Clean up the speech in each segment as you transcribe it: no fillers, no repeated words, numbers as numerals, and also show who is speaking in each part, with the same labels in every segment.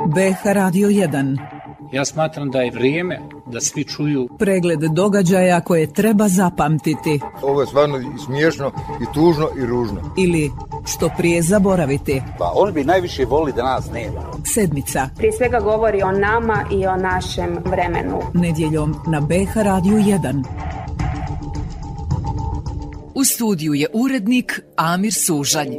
Speaker 1: BH Radio 1.
Speaker 2: Ja smatram da je vrijeme da svi čuju
Speaker 1: pregled događaja koje treba zapamtiti.
Speaker 3: Ovo je stvarno i smiješno, i tužno, i ružno.
Speaker 1: Ili što prije zaboraviti.
Speaker 4: Pa on bi najviše voli da nas nema.
Speaker 1: Sedmica.
Speaker 5: Prije svega govori o nama i o našem vremenu.
Speaker 1: Nedjeljom na BH Radio 1.
Speaker 6: U studiju je urednik Amir Sužanj.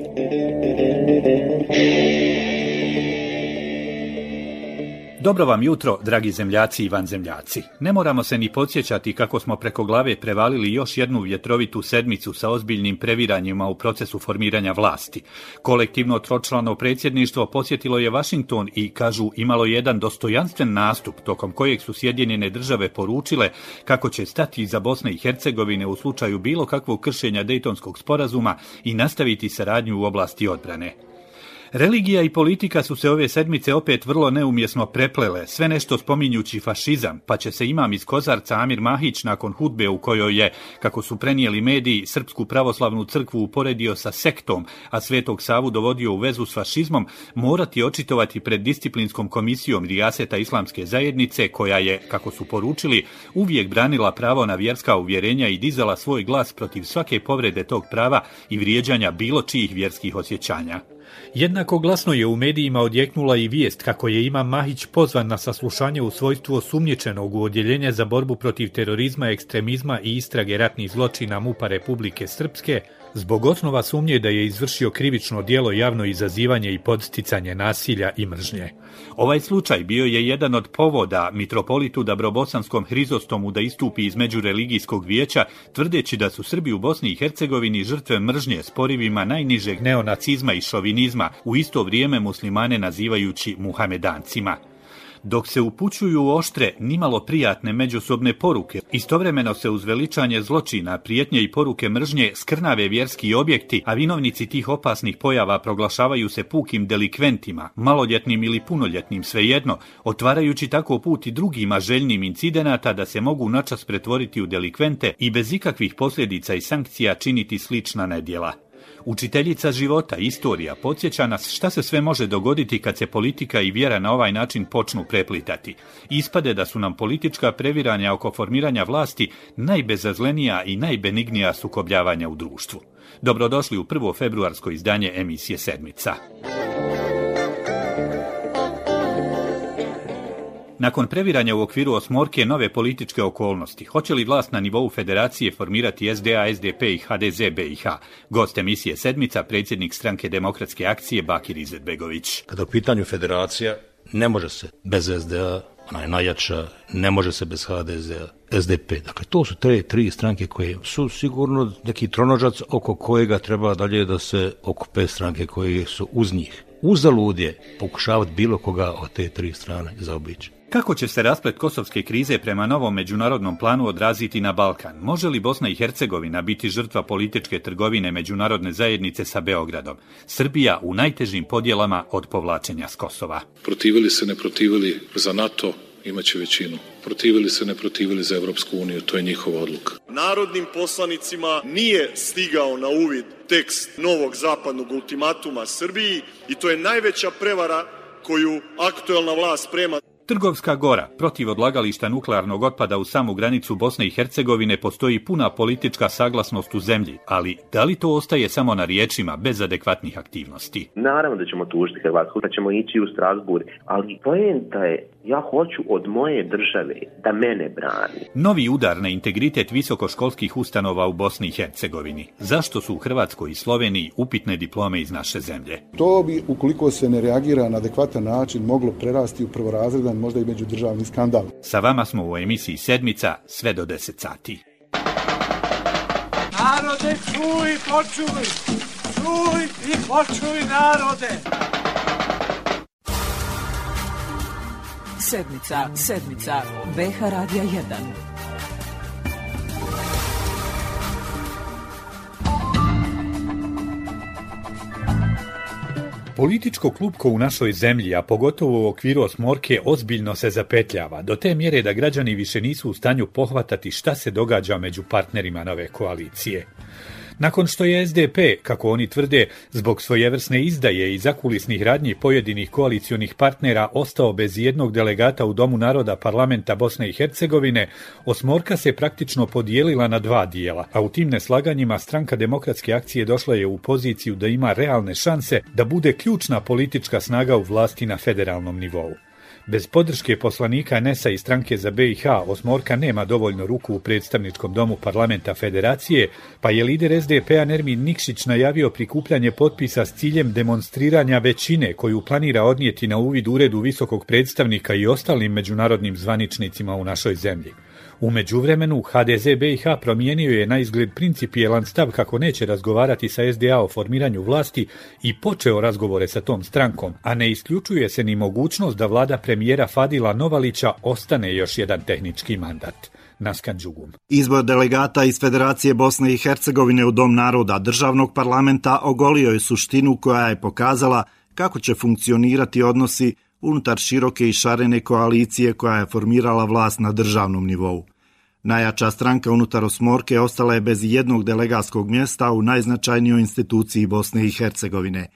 Speaker 7: Dobro vam jutro, dragi zemljaci i vanzemljaci. Ne moramo se ni podsjećati kako smo preko glave prevalili još jednu vjetrovitu sedmicu sa ozbiljnim previranjima u procesu formiranja vlasti. Kolektivno tročlano predsjedništvo posjetilo je Washington i, kažu, imalo jedan dostojanstven nastup tokom kojeg su Sjedinjene Države poručile kako će stati iza Bosne i Hercegovine u slučaju bilo kakvog kršenja Dejtonskog sporazuma i nastaviti saradnju u oblasti odbrane. Religija i politika su se ove sedmice opet vrlo neumjesno preplele, sve nešto spominjući fašizam, pa će se imam iz Kozarca Amir Mahić nakon hudbe u kojoj je, kako su prenijeli mediji, Srpsku pravoslavnu crkvu uporedio sa sektom, a Svetog Savu dovodio u vezu s fašizmom, morati očitovati pred disciplinskom komisijom Rijaseta Islamske zajednice, koja je, kako su poručili, uvijek branila pravo na vjerska uvjerenja i dizala svoj glas protiv svake povrede tog prava i vrijeđanja bilo čijih vjerskih osjećanja.
Speaker 8: Jednako glasno je u medijima odjeknula i vijest kako je imam Mahić pozvan na saslušanje u svojstvu osumnjičenog u Odjeljenje za borbu protiv terorizma, ekstremizma i istrage ratnih zločina MUP-a Republike Srpske zbog osnova sumnje da je izvršio krivično djelo javno izazivanje i podsticanje nasilja i mržnje.
Speaker 7: Ovaj slučaj bio je jedan od povoda mitropolitu Dabrobosanskom Hrizostomu da istupi iz međureligijskog vijeća, tvrdeći da su Srbi u Bosni i Hercegovini žrtve mržnje s porivima najnižeg neonacizma i šovinizma, u isto vrijeme muslimane nazivajući muhamedancima. Dok se upućuju oštre, nimalo prijatne međusobne poruke, istovremeno se uz veličanje zločina, prijetnje i poruke mržnje skrnave vjerski objekti, a vinovnici tih opasnih pojava proglašavaju se pukim delikventima, maloljetnim ili punoljetnim, svejedno, otvarajući tako put i drugima željnim incidenata da se mogu načas pretvoriti u delikvente i bez ikakvih posljedica i sankcija činiti slična nedjela. Učiteljica života, istorija, podsjeća nas šta se sve može dogoditi kad se politika i vjera na ovaj način počnu preplitati. Ispade da su nam politička previranja oko formiranja vlasti najbezazlenija i najbenignija sukobljavanja u društvu. Dobrodošli u prvo februarsko izdanje emisije Sedmica. Nakon previranja u okviru osmorke nove političke okolnosti, hoće li vlast na nivou federacije formirati SDA, SDP i HDZ BiH? Gost emisije Sedmica, predsjednik Stranke demokratske akcije Bakir Izetbegović.
Speaker 9: Kada u pitanju federacija, ne može se bez SDA, ona je najjača, ne može se bez HDZ-a, SDP. Dakle, to su te tri stranke koje su sigurno neki tronožac oko kojega treba dalje da se okupe stranke koje su uz njih. Uzalud je pokušavati bilo koga od te tri strane zaobići.
Speaker 7: Kako će se rasplet kosovske krize prema novom međunarodnom planu odraziti na Balkan? Može li Bosna i Hercegovina biti žrtva političke trgovine međunarodne zajednice sa Beogradom? Srbija u najtežim podjelama od povlačenja s Kosova.
Speaker 10: Protivili se, ne protivili za NATO, imaće većinu. Protivili se, ne protivili za Evropsku uniju, to je njihova odluka.
Speaker 11: Narodnim poslanicima nije stigao na uvid tekst novog zapadnog ultimatuma Srbiji i to je najveća prevara koju aktuelna vlast sprema.
Speaker 7: Trgovska gora, protiv odlagališta nuklearnog otpada u samu granicu Bosne i Hercegovine postoji puna politička saglasnost u zemlji, ali da li to ostaje samo na riječima bez adekvatnih aktivnosti?
Speaker 12: Naravno da ćemo tužiti Hrvatsku, da ćemo ići u Strasbourg, ali poenta je, ja hoću od moje države da mene brani.
Speaker 7: Novi udar na integritet visokoškolskih ustanova u Bosni i Hercegovini. Zašto su u Hrvatskoj i Sloveniji upitne diplome iz naše zemlje?
Speaker 13: To bi, ukoliko se ne reagira na adekvatan način, moglo prerasti u prvorazredan, možda i međudržavni skandal.
Speaker 7: Sa vama smo u emisiji Sedmica sve do 10 sati.
Speaker 14: Narode, čuj, počuj! Čuj i počuj, narode!
Speaker 1: Sedmica, BH Radija 1.
Speaker 8: Političko klupko u našoj zemlji, a pogotovo u okviru osmorke, ozbiljno se zapetljava, do te mjere da građani više nisu u stanju pohvatati šta se događa među partnerima nove koalicije. Nakon što je SDP, kako oni tvrde, zbog svojevrsne izdaje i zakulisnih radnji pojedinih koalicionih partnera ostao bez jednog delegata u Domu naroda parlamenta Bosne i Hercegovine, osmorka se praktično podijelila na dva dijela, a u tim neslaganjima Stranka demokratske akcije došla je u poziciju da ima realne šanse da bude ključna politička snaga u vlasti na federalnom nivou. Bez podrške poslanika NES-a i Stranke za BiH, osmorka nema dovoljno ruku u predstavničkom domu parlamenta federacije, pa je lider SDP-a Nermin Nikšić najavio prikupljanje potpisa s ciljem demonstriranja većine koju planira odnijeti na uvid uredu visokog predstavnika i ostalim međunarodnim zvaničnicima u našoj zemlji. U međuvremenu, HDZ BiH promijenio je na izgled principijelan stav kako neće razgovarati sa SDA o formiranju vlasti i počeo razgovore sa tom strankom, a ne isključuje se ni mogućnost da vlada premijera Fadila Novalića ostane još jedan tehnički mandat. Naskan Đugum.
Speaker 15: Izbor delegata iz Federacije Bosne i Hercegovine u Dom naroda državnog parlamenta ogolio je suštinu koja je pokazala kako će funkcionirati odnosi unutar široke i šarene koalicije koja je formirala vlast na državnom nivou. Najjača stranka unutar osmorke ostala je bez jednog delegatskog mjesta u najznačajnijoj instituciji Bosne i Hercegovine.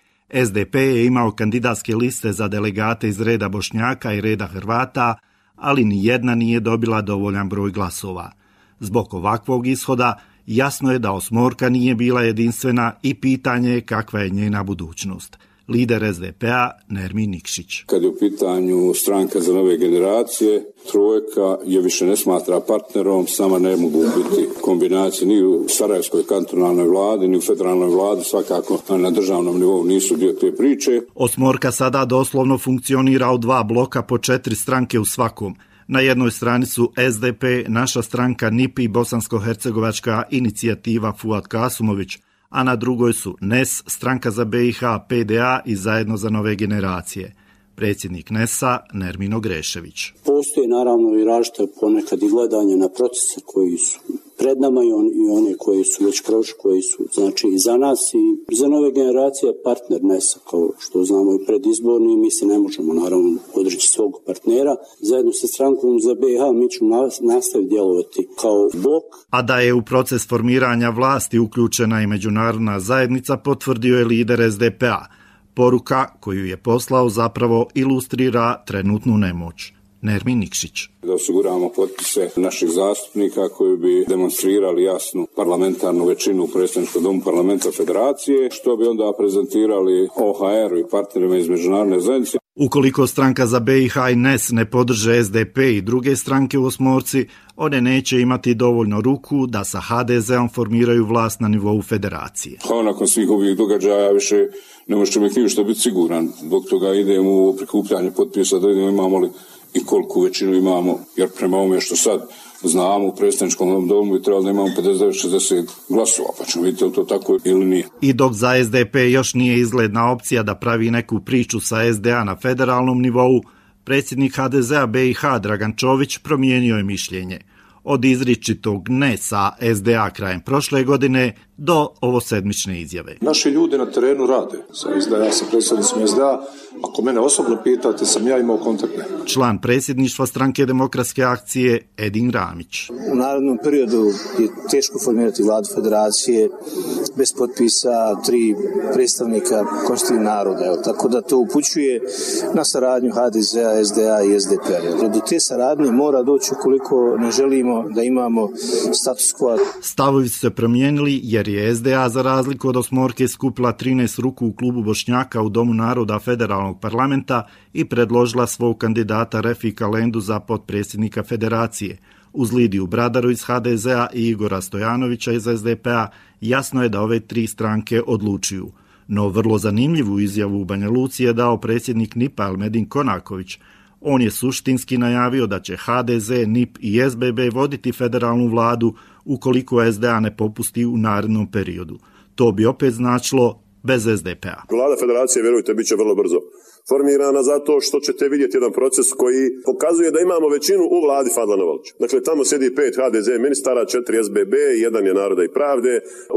Speaker 15: SDP je imao kandidatske liste za delegate iz reda Bošnjaka i reda Hrvata, ali ni jedna nije dobila dovoljan broj glasova. Zbog ovakvog ishoda jasno je da osmorka nije bila jedinstvena i pitanje je kakva je njena budućnost. Lider SDP-a Nermin Nikšić.
Speaker 16: Kad je u pitanju Stranka za nove generacije, trojka je više ne smatra partnerom, sama ne mogu biti kombinacije ni u Sarajevskoj kantonalnoj vladi, ni u federalnoj vladi, svakako na državnom nivou nisu dio te priče.
Speaker 15: Osmorka sada doslovno funkcionira u dva bloka po 4 stranke u svakom. Na jednoj strani su SDP, naša stranka NIP i bosansko-hercegovačka inicijativa Fuad Kasumović, a na drugoj su NES, Stranka za BiH, PDA i Zajedno za nove generacije. Predsjednik NES-a Nermin Ogrešević.
Speaker 17: Postoje naravno i različite ponekad i gledanje na procese koji su pred nama i one koji su već prošli, koji su znači i za nas i za nove generacije partner NES-a, kao što znamo i predizborni, mi se ne možemo naravno odreći svog partnera. Zajedno sa Strankom za BiH mi ćemo nastaviti djelovati kao blok.
Speaker 15: A da je u proces formiranja vlasti uključena i međunarodna zajednica, potvrdio je lider SDP-a. Poruka koju je poslao zapravo ilustrira trenutnu nemoć. Nermin Nikšić.
Speaker 16: Da osiguramo potpise naših zastupnika koji bi demonstrirali jasnu parlamentarnu većinu u predstavničkom domu parlamenta federacije, što bi onda prezentirali OHR-u i partnerima iz međunarodne zajednice.
Speaker 15: Ukoliko Stranka za BiH i NES ne podrže SDP i druge stranke u osmorci, one neće imati dovoljno ruku da sa HDZ-om formiraju vlast na nivou federacije.
Speaker 16: Nakon svih ovih događaja više ne može čovjek ništa biti siguran. Zbog toga idemo u prikupljanje potpisa da vidimo imamo li i koliku većinu imamo, jer prema ovome što sad znamo u predstavničkom domu bi trebalo da imamo 59-60 glasova, pa ćemo vidjeti li to tako ili nije.
Speaker 15: I dok za SDP još nije izgledna opcija da pravi neku priču sa SDA na federalnom nivou, predsjednik HDZ-a BiH Dragan Čović promijenio je mišljenje. Od izričitog ne sa SDA krajem prošle godine do ovosedmične izjave.
Speaker 18: Naši ljudi na terenu rade sa SDA, sa predsjednicima SDA. Ako mene osobno pitate, sam ja imao kontaktne.
Speaker 15: Član predsjedništva Stranke demokratske akcije Edin Ramić.
Speaker 19: U narednom periodu je teško formirati vladu federacije bez potpisa 3 predstavnika konstitutivnog naroda. Tako da to upućuje na saradnju HDZ-a, SDA i SDP-a. Do te saradnje mora doći ukoliko ne želimo da imamo status quo.
Speaker 15: Stavovi su se promijenili jer je SDA za razliku od osmorke skupila 13 ruku u klubu Bošnjaka u Domu naroda federalnog parlamenta i predložila svog kandidata Refika Lendu za potpredsjednika federacije. Uz Lidiju Bradaru iz HDZ-a i Igora Stojanovića iz SDP-a jasno je da ove 3 stranke odlučuju. No vrlo zanimljivu izjavu u Banja Luci je dao predsjednik NIP-a Elmedin Konaković. On je suštinski najavio da će HDZ, NIP i SBB voditi federalnu vladu ukoliko SDA ne popusti u narednom periodu. To bi opet značilo bez SDP-a.
Speaker 20: Vlada federacije, vjerujte, bit će vrlo brzo. formirana zato što ćete vidjeti jedan proces koji pokazuje da imamo većinu u vladi Fadla Novaluća. Dakle, tamo sjedi 5 HDZ ministara, 4 SBB, 1 je Naroda i pravde.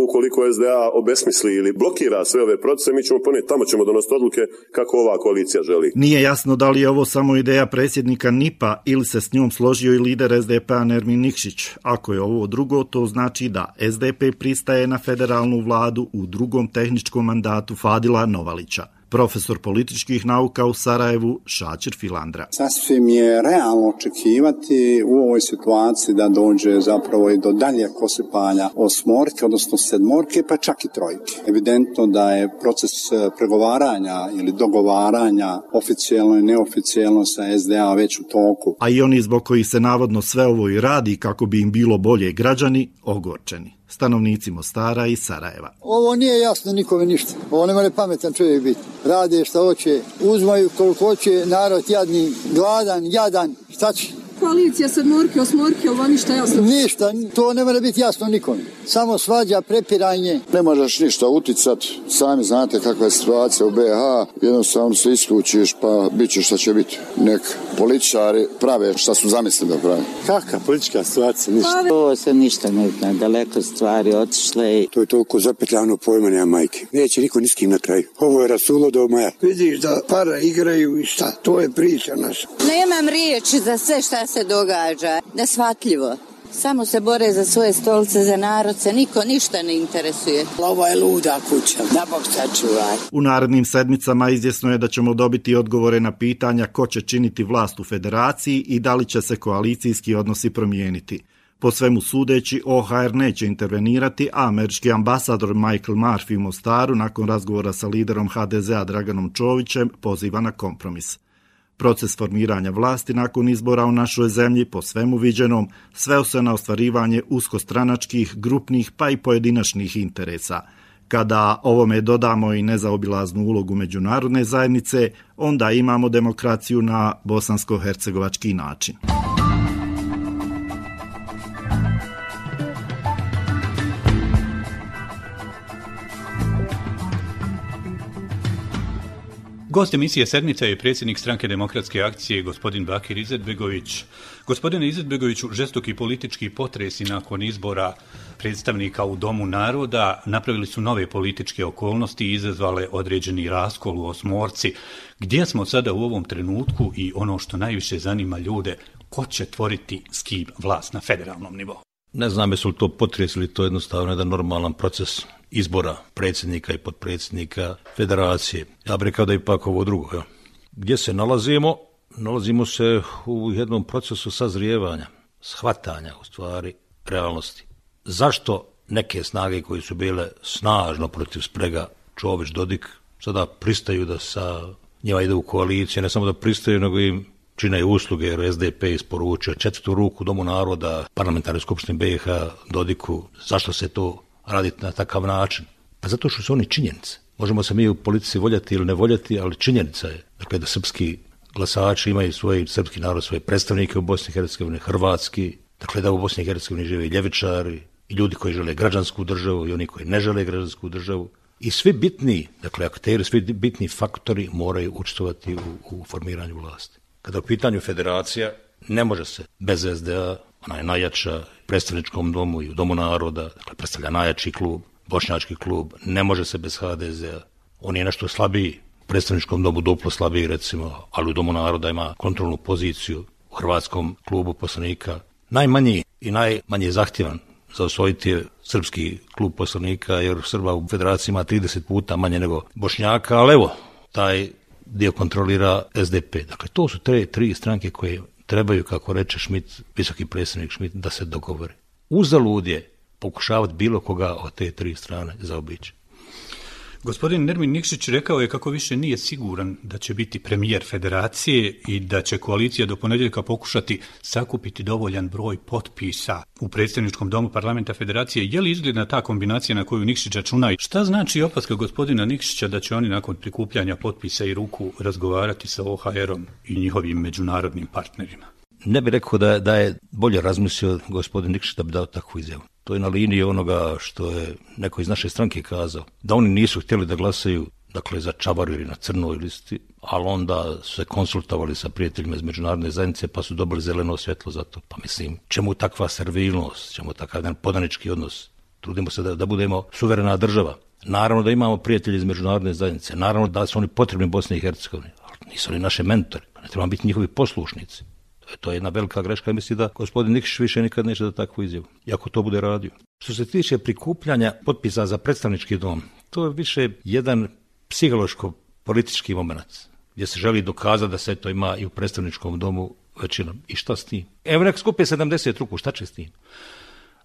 Speaker 20: Ukoliko SDA obesmisli ili blokira sve ove procese, mi ćemo ponijeti, tamo ćemo donositi odluke kako ova koalicija želi.
Speaker 15: Nije jasno da li je ovo samo ideja predsjednika NIP-a ili se s njom složio i lider SDP-a Nermin Nikšić. Ako je ovo drugo, to znači da SDP pristaje na federalnu vladu u drugom tehničkom mandatu Fadila Novalića. Profesor političkih nauka u Sarajevu Šačir Filandra.
Speaker 21: Sasvim je realno očekivati u ovoj situaciji da dođe zapravo i do dalje kosipanja osmorke, odnosno sedmorke, pa čak i trojke. Evidentno da je proces pregovaranja ili dogovaranja oficijelno i neoficijelno sa SDA već u toku.
Speaker 15: A i oni zbog kojih se navodno sve ovo i radi kako bi im bilo bolje građani, ogorčeni. Stanovnici Mostara i Sarajeva.
Speaker 22: Ovo nije jasno nikome ništa. Ovo ne more pametan čovjek biti. Rade šta hoće, uzmaju koliko hoće, narod jadni, gladan, jadan, šta će?
Speaker 23: Koalicija sedmorke, osmorke, ovo ništa jasno.
Speaker 22: Ništa, to ne mora biti jasno nikome. Samo svađa, prepiranje.
Speaker 3: Ne možeš ništa uticat, sami znate kakva je situacija u BiH, jednostavno se isključiš pa bit će šta će biti. Nek političari prave šta su zamislili da prave.
Speaker 22: Kakva politička situacija, ništa.
Speaker 24: Ovo se ništa ne zna, daleko stvari otišle.
Speaker 25: To je toliko zapetljano pojma nema majke. Neće niko ni s kim na kraju. Ovo je rasulo do maja.
Speaker 22: Vidiš da para igraju i šta, to je priča naša.
Speaker 24: Nemam riječi za sve šta se događa, neshvatljivo. Samo se bore za svoje stolice, za narod se niko ništa ne interesuje.
Speaker 22: Ovo je luda kuća, da Bog sačuvaj.
Speaker 15: U narednim sedmicama izvjesno je da ćemo dobiti odgovore na pitanja ko će činiti vlast u federaciji i da li će se koalicijski odnosi promijeniti. Po svemu sudeći, OHR neće intervenirati, a američki ambasador Michael Murphy u Mostaru nakon razgovora sa liderom HDZ-a Draganom Čovićem poziva na kompromis. Proces formiranja vlasti nakon izbora u našoj zemlji, po svemu viđenom, sveo se na ostvarivanje uskostranačkih, grupnih pa i pojedinačnih interesa. Kada ovome dodamo i nezaobilaznu ulogu međunarodne zajednice, onda imamo demokraciju na bosansko-hercegovački način.
Speaker 7: Gost emisije Sedmica je predsjednik Stranke demokratske akcije, gospodin Bakir Izetbegović. Gospodine Izetbegoviću, žestoki politički potresi nakon izbora predstavnika u Domu naroda napravili su nove političke okolnosti i izazvale određeni raskol u osmorci. Gdje smo sada u ovom trenutku i ono što najviše zanima ljude, ko će tvoriti s kim vlast na federalnom nivou?
Speaker 9: Ne znam jesu li to potres ili to jednostavno jedan normalan proces izbora predsjednika i potpredsjednika federacije. Ja bih rekao da je ipak ovo drugo. Ja. Gdje se nalazimo? Nalazimo se u jednom procesu sazrijevanja, shvatanja u stvari realnosti. Zašto neke snage koje su bile snažno protiv sprega Čović-Dodik sada pristaju da sa njima ide u koaliciju, ne samo da pristaju, nego im čine usluge, jer SDP isporučio 4. ruku Domu naroda, parlamentarnoj skupštini BiH, Dodiku. Zašto se to radi na takav način? Pa zato što su oni činjenice. Možemo se mi u politici voljeti ili ne voljeti, ali činjenica je dakle, da srpski glasači imaju svoj srpski narod, svoje predstavnike u Bosni i Hercegovini, hrvatski, dakle da u Bosni i Hercegovini žive i ljevičari, i ljudi koji žele građansku državu i oni koji ne žele građansku državu. I svi bitni, dakle akteri, svi bitni faktori moraju učestvovati u formiranju vlasti. Kada u pitanju federacija, ne može se bez SDA, ona je najjača u predstavničkom domu i u Domu naroda, dakle predstavlja najjači klub, bošnjački klub, ne može se bez HDZ-a. On je nešto slabiji, u predstavničkom domu duplo slabiji recimo, ali u Domu naroda ima kontrolnu poziciju, u hrvatskom klubu poslanika. Najmanji i najmanje zahtjevan za osvojiti je srpski klub poslanika, jer Srba u federaciji ima 30 puta manje nego Bošnjaka, ali evo, taj dio kontrolira SDP. Dakle, to su te tri stranke koje trebaju, kako reče Schmidt, visoki predsjednik Schmidt, da se dogovore. Uzalud je pokušavati bilo koga od te tri strane zaobići.
Speaker 7: Gospodin Nermin Nikšić rekao je kako više nije siguran da će biti premijer federacije i da će koalicija do ponedjeljka pokušati sakupiti dovoljan broj potpisa u predstavničkom domu parlamenta federacije. Je li izgledna ta kombinacija na koju Nikšić računa i šta znači opaska gospodina Nikšića da će oni nakon prikupljanja potpisa i ruku razgovarati sa OHR-om i njihovim međunarodnim partnerima?
Speaker 9: Ne bih rekao da je bolje razmislio gospodin Nikšić da bi dao takvu izjavu. To je na liniji onoga što je neko iz naše stranke kazao, da oni nisu htjeli da glasaju dakle začavarili na crnoj listi, ali onda su se konsultovali sa prijateljima iz međunarodne zajednice pa su dobili zeleno svjetlo za to. Pa mislim, čemu takva servilnost, čemu takav jedan podanički odnos? Trudimo se da budemo suverena država. Naravno da imamo prijatelje iz međunarodne zajednice, naravno da su oni potrebni Bosni i Hercegovini, ali nisu oni naše mentori, ne trebamo biti njihovi poslušnici. To je jedna velika greška i mislim da gospodin Nikšić više nikad neće da takvu izjavu, iako to bude radio. Što se tiče prikupljanja potpisa za predstavnički dom, to je više jedan psihološko-politički moment, gdje se želi dokazati da se to ima i u predstavničkom domu većinom. I šta s tim? Evo nek skupe 70 ruku, šta će s tim?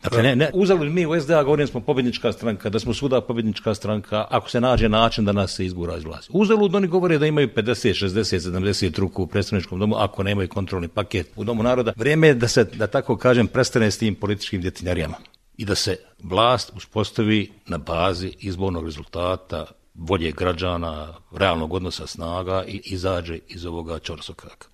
Speaker 9: Dakle, ne uzeli mi u SDA, govorim smo pobjednička stranka, da smo svuda pobjednička stranka, ako se nađe način da nas se izgura iz vlasti. Uzalud oni govore da imaju 50, 60, 70 ruku u predstavničkom domu, ako nemaju kontrolni paket u Domu naroda. Vrijeme je da se, da tako kažem, prestane s tim političkim djetinjarijama i da se vlast uspostavi na bazi izbornog rezultata, volje građana, realnog odnosa snaga i izađe iz ovoga ćorsokaka.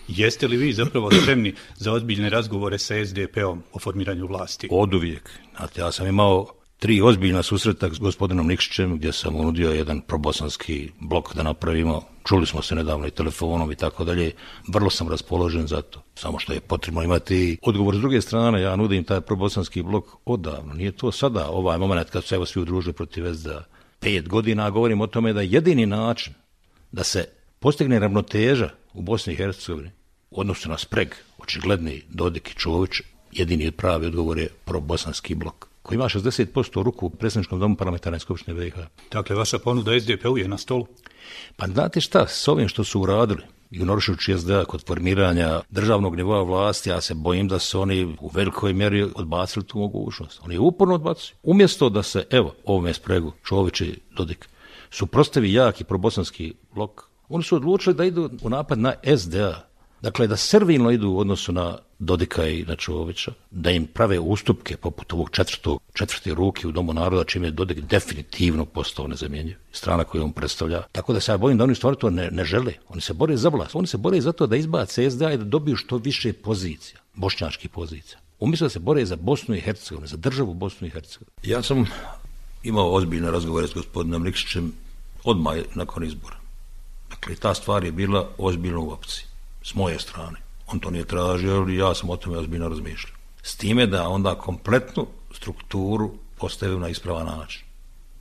Speaker 7: Jeste li vi zapravo spremni za ozbiljne razgovore sa SDP-om o formiranju vlasti?
Speaker 9: Oduvijek. Znate, ja sam imao 3 ozbiljna susreta s gospodinom Nikšićem gdje sam unudio jedan probosanski blok da napravimo. Čuli smo se nedavno i telefonom i tako dalje. Vrlo sam raspoložen za to. Samo što je potrebno imati odgovor s druge strane. Ja nudim taj probosanski blok odavno. Nije to sada ovaj moment kad su se evo svi udružili protiv SDA. 5 godina govorim o tome da je jedini način da se postigne ravnoteža u Bosni i Hercegovini u odnosu na spreg, očigledni Dodik i Čović, jedini pravi odgovor je probosanski blok, koji ima 60% ruku u predsjedničkom domu parlamentarne skupštine BiH.
Speaker 7: Dakle, vaša ponuda SDP-u je na stolu?
Speaker 9: Pa znate šta, s ovim što su uradili, ignorišući SDA kod formiranja državnog nivoa vlasti, ja se bojim da su oni u velikoj mjeri odbacili tu mogućnost. Oni uporno odbacuju. Umjesto da se, evo, ovome spregu, Čović i Dodik, suprotstavi jaki probosanski blok, oni su odlučili da idu u napad na SDA. Dakle, da servilno idu u odnosu na Dodika i na Čovića, da im prave ustupke poput ovog četvrte ruke u Domu naroda, čim je Dodik definitivno postao nezamjenjiv, strana koju on predstavlja. Tako da se ja bojim da oni stvari to ne žele. Oni se bore za vlast. Oni se bore za to da izbace SDA i da dobiju što više pozicija, bošnjačkih pozicija. Umjesto da se bore za Bosnu i Hercegovinu, za državu Bosnu i Hercegovinu. Ja sam imao ozbiljne razgovore s gospodinom Nikšićem odmah nakon izbora. Dakle, ta stvar je bila ozbiljna u opciji. S moje strane. On to nije tražio, ali ja sam o tome ozbiljno razmišljao. S time da onda kompletnu strukturu postavio na ispravan način.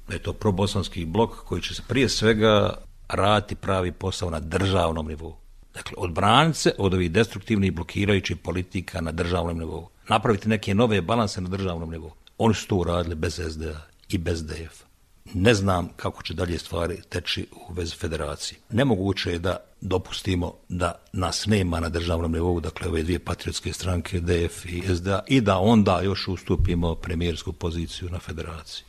Speaker 9: Da je to probosanski blok koji će se prije svega raditi pravi posao na državnom nivou. Dakle, odbraniti se od ovih destruktivnih blokirajućih politika na državnom nivou. Napraviti neke nove balanse na državnom nivou. Oni su to uradili bez SDA i bez DF. Ne znam kako će dalje stvari teći u vezi federacije. Nemoguće je da dopustimo da nas nema na državnom nivou, dakle ove dvije patriotske stranke, DF i SDA, i da onda još ustupimo premijersku poziciju na federaciji.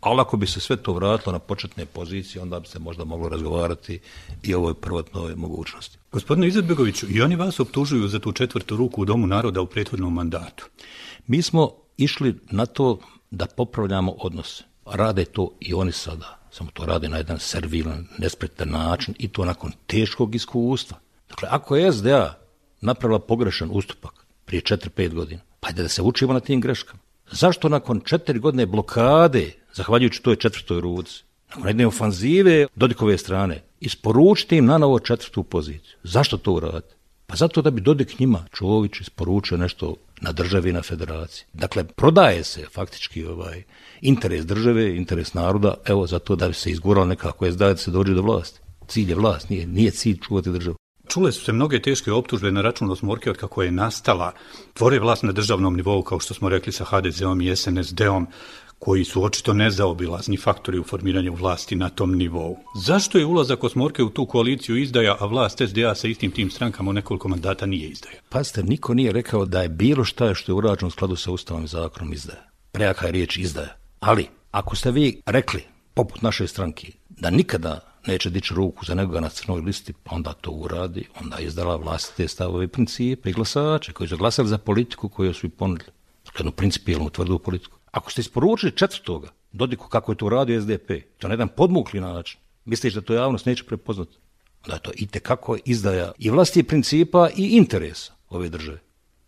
Speaker 9: Ali ako bi se sve to vratilo na početne pozicije, onda bi se možda moglo razgovarati i o ovoj prvotnoj mogućnosti.
Speaker 7: Gospodine Izetbegoviću, i oni vas optužuju za tu četvrtu ruku u Domu naroda u prethodnom mandatu.
Speaker 9: Mi smo išli na to da popravljamo odnose. Rade to i oni sada, samo to rade na jedan servilan, nespretan način i to nakon teškog iskustva. Dakle, ako je SDA napravila pogrešan ustupak prije 4-5 godina, pa da se učimo na tim greškama. Zašto nakon 4 godine blokade, zahvaljujući toj četvrtoj ruci, nakon jedne ofanzive Dodikove strane, isporučiti im na novo četvrtu poziciju? Zašto to uraditi? Pa zato da bi Dodik njima, Čović, isporučio nešto na državi i na federaciji. Dakle, prodaje se faktički interes države, interes naroda, evo zato da bi se izguralo nekako SDA da se dođe do vlasti. Cilj je vlast, nije cilj čuvati državu.
Speaker 7: Čule su se mnoge teške optužbe na račun Osmorke od kako je nastala. Tvore vlast na državnom nivou, kao što smo rekli, sa HDZ-om i SNSD-om, koji su očito nezaobilazni faktori u formiranju vlasti na tom nivou. Zašto je ulazak Osmorke u tu koaliciju izdaja, a vlast SDA sa istim tim strankama u nekoliko mandata nije izdaja?
Speaker 9: Pazite, niko nije rekao da je bilo šta što je urađeno u skladu sa Ustavom i zakonom izdaja. Prejaka je riječ izdaja. Ali, ako ste vi rekli, poput naše stranke, da nikada neće dići ruku za nekoga na crnoj listi, pa onda to uradi, onda je izdala vlastite stavove i principe i glasače koji su glasali za politiku koju su i ponudili. Jednu principijelnu tvrdu politiku. Ako ste isporučili četvrtoga, Dodiku kako je to uradio SDP, to na jedan podmukli način, misliš da to javnost neće prepoznati, da je to itekako izdaja i vlasti principa i interesa ove države.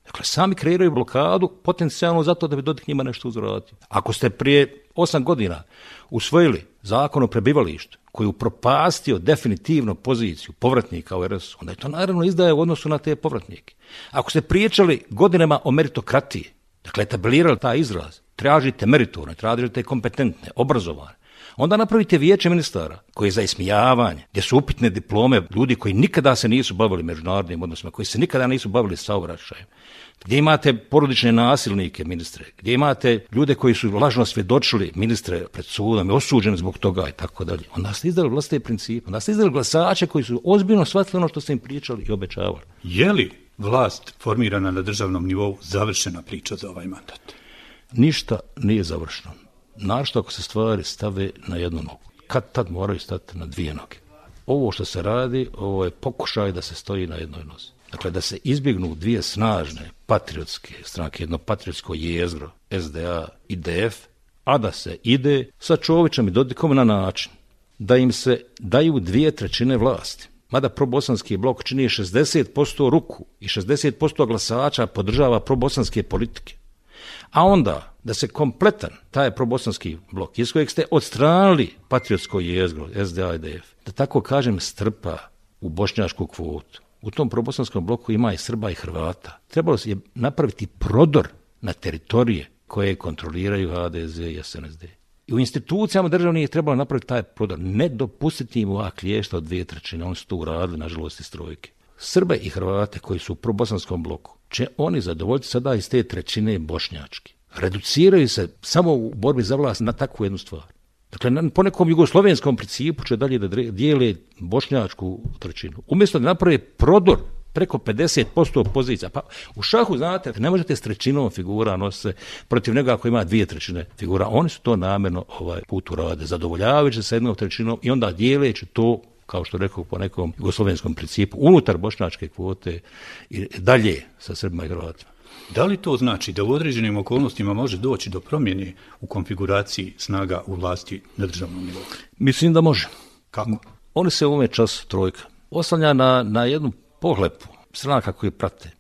Speaker 9: Dakle, sami kreiraju blokadu potencijalno zato da bi Dodik njima nešto uzvratio. Ako ste prije 8 godina usvojili zakon o prebivalištu koji upropastio definitivno poziciju povratnika u RS, onda je to naravno izdaje u odnosu na te povratnike. Ako ste pričali godinama o meritokratiji, dakle etablirali taj izraz, tražite meritorne, tražite kompetentne, obrazovane, onda napravite vijeće ministara koje je za ismijavanje, gdje su upitne diplome ljudi koji nikada se nisu bavili međunarodnim odnosima, koji se nikada nisu bavili saobraćajem, gdje imate porodične nasilnike ministre, gdje imate ljude koji su lažno svjedočili ministre pred sudom i osuđeni zbog toga i tako dalje. Onda ste izdali vlastite principe, onda ste izdali glasače koji su ozbiljno shvatili ono što ste im pričali i obećavali.
Speaker 7: Je li vlast formirana na državnom nivou završena priča za ovaj mandat?
Speaker 9: Ništa nije završeno. Našto ako se stvari stave na jednu nogu. Kad tad moraju stati na dvije noge. Ovo što se radi, ovo je pokušaj da se stoji na jednoj nozi. Dakle, da se izbjegnu dvije snažne patriotske stranke, jedno patriotsko jezgro, SDA i DF, a da se ide sa Čovićem i Dodikom na način da im se daju 2/3 vlasti. Mada probosanski blok čini 60% ruku i 60% glasača podržava probosanske politike. A onda da se kompletan taj probosanski blok iz kojeg ste odstranili patriotsko jezgro, SDA i DF, da tako kažem strpa u bošnjačku kvotu. U tom probosanskom bloku ima i Srba i Hrvata. Trebalo je napraviti prodor na teritorije koje kontroliraju HDZ i SNSD. I u institucijama državnih je trebalo napraviti taj prodor. Ne dopustiti im ovak kliješta od 2/3. Oni su to uradili, nažalost, iz trojke. Srbe i Hrvate koji su u probosanskom bloku će oni zadovoljiti sada iz te 1/3 bošnjački. Reduciraju se samo u borbi za vlast na takvu jednu stvar. Dakle, po nekom jugoslovenskom principu će dalje da dijele bošnjačku 1/3. Umjesto da naprave prodor preko 50% pozicija. Pa u šahu, znate, ne možete s 1/3 figura nositi protiv njega ako ima 2/3 figura. Oni su to namjerno put urade, zadovoljavajući sa 1/3 i onda dijeleći to, kao što rekao, po nekom jugoslovenskom principu, unutar bošnjačke kvote i dalje sa Srbima i Hrvatima.
Speaker 7: Da li to znači da u određenim okolnostima može doći do promjene u konfiguraciji snaga u vlasti na državnom nivou?
Speaker 9: Mislim da može.
Speaker 7: Kako?
Speaker 9: Oni se u ovome času trojka oslanja na jednu pohlepu stranaka koji prate,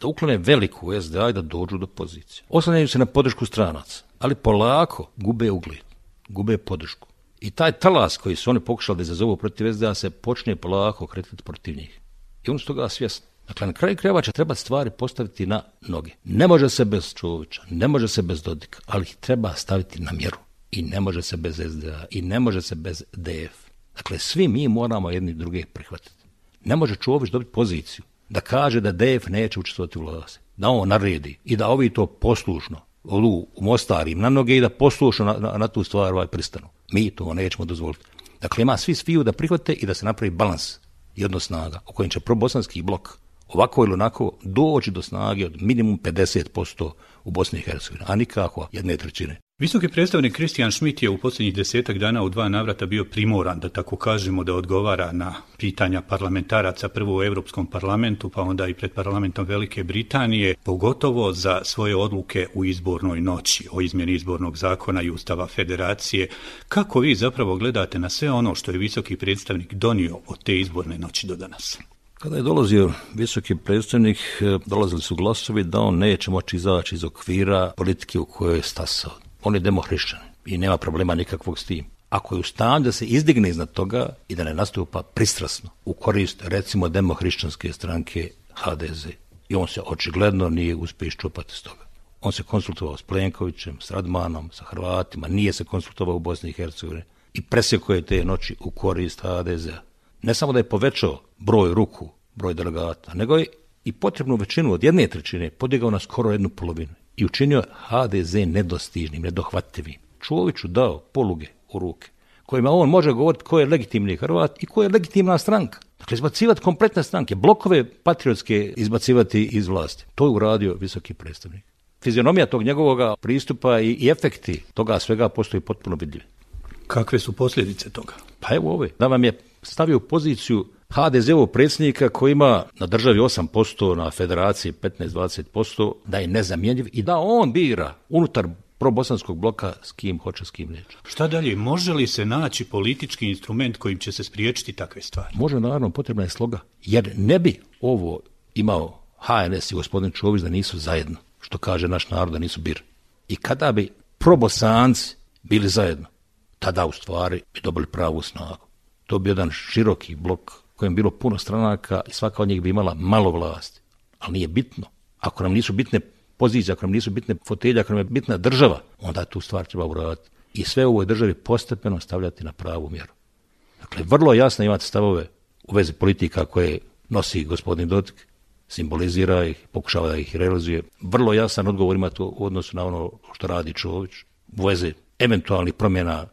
Speaker 9: da uklone veliku SDA i da dođu do pozicije. Oslanjaju se na podršku stranaca, ali polako gube ugled, gube podršku. I taj talas koji su oni pokušali da izazovu protiv SDA se počne polako kretati protiv njih. I oni su toga svjesni. Dakle, na kraju krajeva će trebati stvari postaviti na noge. Ne može se bez Čovića, ne može se bez Dodika, ali ih treba staviti na mjeru. I ne može se bez SDA, i ne može se bez DF. Dakle, svi mi moramo jedni druge prihvatiti. Ne može Čović dobiti poziciju da kaže da DF neće učestvovati u vlasti, da on naredi i da ovi to poslušno u Mostar im na noge i da poslušno na tu stvar pristanu. Mi to nećemo dozvoliti. Dakle, ima sviju da prihvate i da se napravi balans i odnos snaga u kojem će probosanski blok ovako ili onako doći do snage od minimum 50% u Bosni i Hercegovini, a nikako 1/3.
Speaker 7: Visoki predstavnik Kristijan Schmidt je u posljednjih 10 dana u 2 navrata bio primoran, da tako kažemo, da odgovara na pitanja parlamentaraca, prvo u Europskom parlamentu, pa onda i pred parlamentom Velike Britanije, pogotovo za svoje odluke u izbornoj noći, o izmjeni izbornog zakona i Ustava Federacije. Kako vi zapravo gledate na sve ono što je visoki predstavnik donio od te izborne noći do danas?
Speaker 9: Kada je dolazio visoki predstavnik, dolazili su glasovi da on neće moći izaći iz okvira politike u kojoj je stasao. On je demohrišćan i nema problema nikakvog s tim. Ako je u stanju da se izdigne iznad toga i da ne nastupa pristrasno u korist, recimo, demohrišćanske stranke HDZ. I on se očigledno nije uspio iščupati s toga. On se konsultovao s Plenkovićem, s Radmanom, sa Hrvatima, nije se konsultovao u Bosni i Hercegovini i presjekao je te noći u korist HDZ-a. Ne samo da je povećao broj ruku, broj delegata, nego je i potrebnu većinu od 1/3 podigao na skoro 1/2 i učinio HDZ nedostižnim, nedohvatljivim. Čoviću dao poluge u ruke, kojima on može govoriti ko je legitimni Hrvat i ko je legitimna stranka. Dakle, izbacivati kompletne stranke, blokove patriotske izbacivati iz vlasti. To je uradio visoki predstavnik. Fizionomija tog njegovog pristupa i efekti toga svega postoji potpuno vidljivi.
Speaker 7: Kakve su posljedice toga?
Speaker 9: Pa evo ove, da vam je stavio u poziciju HDZ-ovog predsjednika koji ima na državi 8%, na federaciji 15-20%, da je nezamjenjiv i da on bira unutar probosanskog bloka s kim hoće, s kim neće.
Speaker 7: Šta dalje? Može li se naći politički instrument kojim će se spriječiti takve stvari?
Speaker 9: Može, naravno, potrebna je sloga. Jer ne bi ovo imao HNS i gospodin Čović da nisu zajedno, što kaže naš narod, da nisu bir. I kada bi probosanci bili zajedno, tada u stvari bi dobili pravu snagu. To bi jedan široki blok kojem bilo puno stranaka i svaka od njih bi imala malo vlasti. Ali nije bitno. Ako nam nisu bitne pozicije, ako nam nisu bitne fotelje, ako nam je bitna država, onda tu stvar treba uraditi. I sve u ovoj državi postepeno stavljati na pravu mjeru. Dakle, vrlo jasno imate stavove u vezi politika koje nosi gospodin Dodik, simbolizira ih, pokušava da ih realizuje. Vrlo jasan odgovor ima to u odnosu na ono što radi Čović, u vezi eventualnih promjena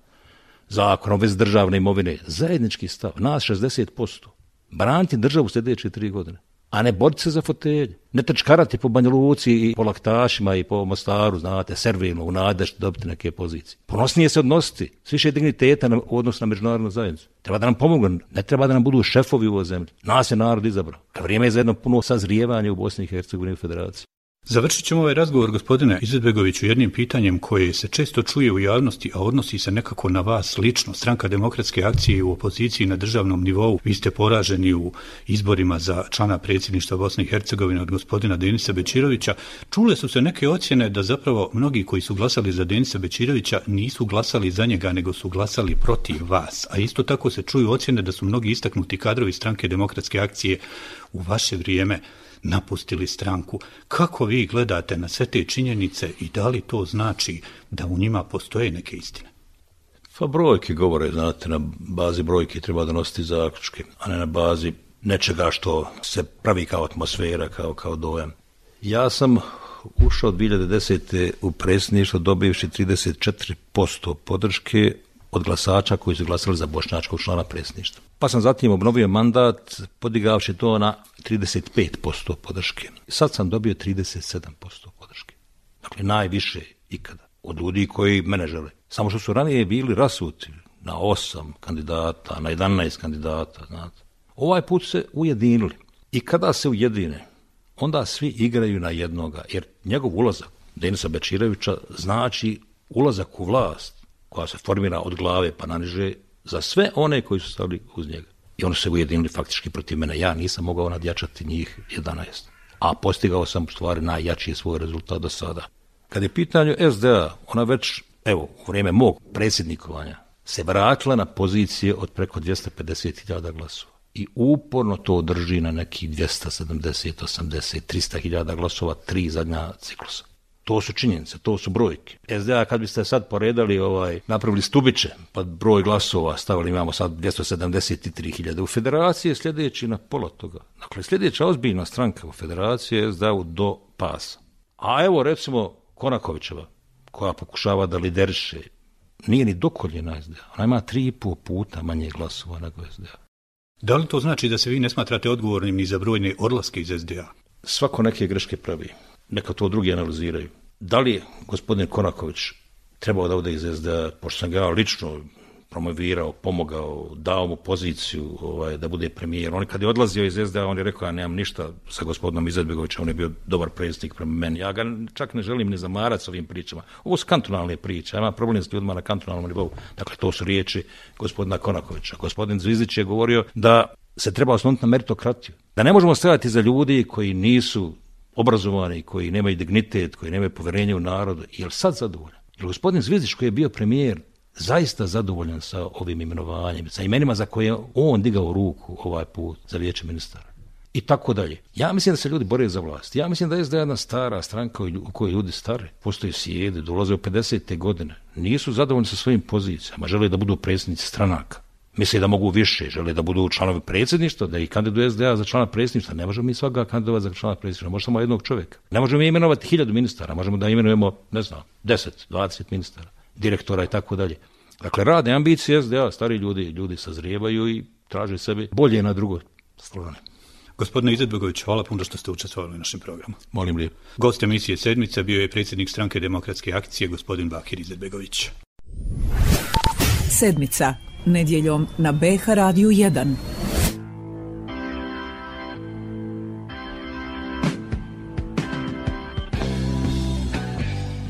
Speaker 9: zakona, u vezi državne imovine. Zajednički stav, nas 60%. Braniti državu sljedeće 3 godine. A ne boriti se za fotelje. Ne trčkarati po Banja Luci i po Laktašima i po Mostaru, znate, servilno, u nadi da ćete dobiti neke pozicije. Ponosnije se odnositi, s više digniteta u odnosu na međunarodnu zajednicu. Treba da nam pomognu, ne treba da nam budu šefovi u ovoj zemlji. Nas je narod izabrao. Vrijeme je za jedno puno sazrijevanje u Bosni i Hercegovini u Federaciji.
Speaker 7: Završit ćemo ovaj razgovor, gospodine Izetbegoviću, jednim pitanjem koje se često čuje u javnosti, a odnosi se nekako na vas lično. Stranka Demokratske akcije u opoziciji na državnom nivou. Vi ste poraženi u izborima za člana predsjedništva Bosne i Hercegovine od gospodina Denisa Bećirovića. Čule su se neke ocjene da zapravo mnogi koji su glasali za Denisa Bećirovića nisu glasali za njega, nego su glasali protiv vas. A isto tako se čuju ocjene da su mnogi istaknuti kadrovi Stranke Demokratske akcije u vaše vrijeme napustili stranku. Kako vi gledate na sve te činjenice i da li to znači da u njima postoje neke istine?
Speaker 9: Pa brojke govore, znate, na bazi brojke treba donositi zaključke, a ne na bazi nečega što se pravi kao atmosfera, kao dojam. Ja sam ušao 2010. u predsjedništvo dobivši 34% podrške od glasača koji su glasali za bošnjačkog člana predsjedništva. Pa sam zatim obnovio mandat podigavši to na 35% podrške. Sad sam dobio 37% podrške. Dakle, najviše ikada od ljudi koji mene žele. Samo što su ranije bili rasuti na 8 kandidata, na 11 kandidata. Znate. Ovaj put se ujedinili. I kada se ujedine, onda svi igraju na jednoga. Jer njegov ulazak, Denisa Bećirovića, znači ulazak u vlast koja se formira od glave pa naniže za sve one koji su stali uz njega. I oni su se ujedinili faktički protiv mene. Ja nisam mogao nadjačati njih 11. A postigao sam u stvari najjači svoj rezultat do sada. Kad je pitanju SDA, ona već, u vrijeme mog predsjednikovanja, se vratila na pozicije od preko 250.000 glasova. I uporno to drži na nekih 270, 80, 300.000 glasova 3 zadnja ciklusa. To su činjenice, to su brojke. SDA, kad biste sad poredali, napravili stubiće, pa broj glasova stavili, imamo sad 273.000. U federaciji je sljedeći na pola toga. Dakle, sljedeća ozbiljna stranka u federaciji je SDA do pasa. A evo, recimo, Konakovićeva, koja pokušava da lideriše, nije ni dokoljena SDA. Ona ima 3,5 puta manje glasova nego SDA.
Speaker 7: Da li to znači da se vi ne smatrate odgovornim ni za brojne odlaske iz SDA?
Speaker 9: Svako neke greške pravi. Neka to drugi analiziraju. Da li je gospodin Konaković trebao da ode iz SDA, pošto sam ga ja lično promovirao, pomogao, dao mu poziciju da bude premijer. On kad je odlazio iz SDA, on je rekao, ja nemam ništa sa gospodinom Izetbegovićem, on je bio dobar predsjednik prema meni. Ja ga čak ne želim ni zamarati s ovim pričama. Ovo su kantonalne priče, ja imam problem s ljudima na kantonalnom nivou. Dakle, to su riječi gospodina Konakovića. Gospodin Zvizdić je govorio da se treba osloniti na meritokratiju. Da ne možemo stajati za ljudi koji nisu obrazovani, koji nemaju dignitet, koji nemaju povjerenje u narodu. Je li sad zadovoljan? Je li gospodin Zvizdić koji je bio premijer zaista zadovoljan sa ovim imenovanjem, sa imenima za koje je on digao ruku ovaj put za vijeće ministara? I tako dalje. Ja mislim da se ljudi bore za vlast. Ja mislim da je jedna stara stranka u kojoj ljudi stare, postoje sjede, dolaze u 50. godine, nisu zadovoljni sa svojim pozicijama, žele da budu predsjednici stranaka. Misle da mogu više, žele da budu članovi predsjedništva, da ih kandiduje SDA za člana predsjedništva. Ne možemo mi svaga kandidovati za člana predsjedništva, može samo jednog čovjeka. Ne možemo mi imenovati 1000 ministara, možemo da imenujemo, 10, 20 ministara, direktora i tako dalje. Dakle, rade ambicije SDA, stari ljudi sazrijevaju i traže sebi bolje na drugoj strani.
Speaker 7: Gospodine Izetbegović, hvala puno što ste učestvovali u našem programu.
Speaker 9: Molim lijepo.
Speaker 7: Gost emisije Sedmica bio je predsjednik Stranke Demokratske akcije, gospodin Bakir Izetbegović.
Speaker 1: Sedmica, nedjeljom na BH Radiju 1.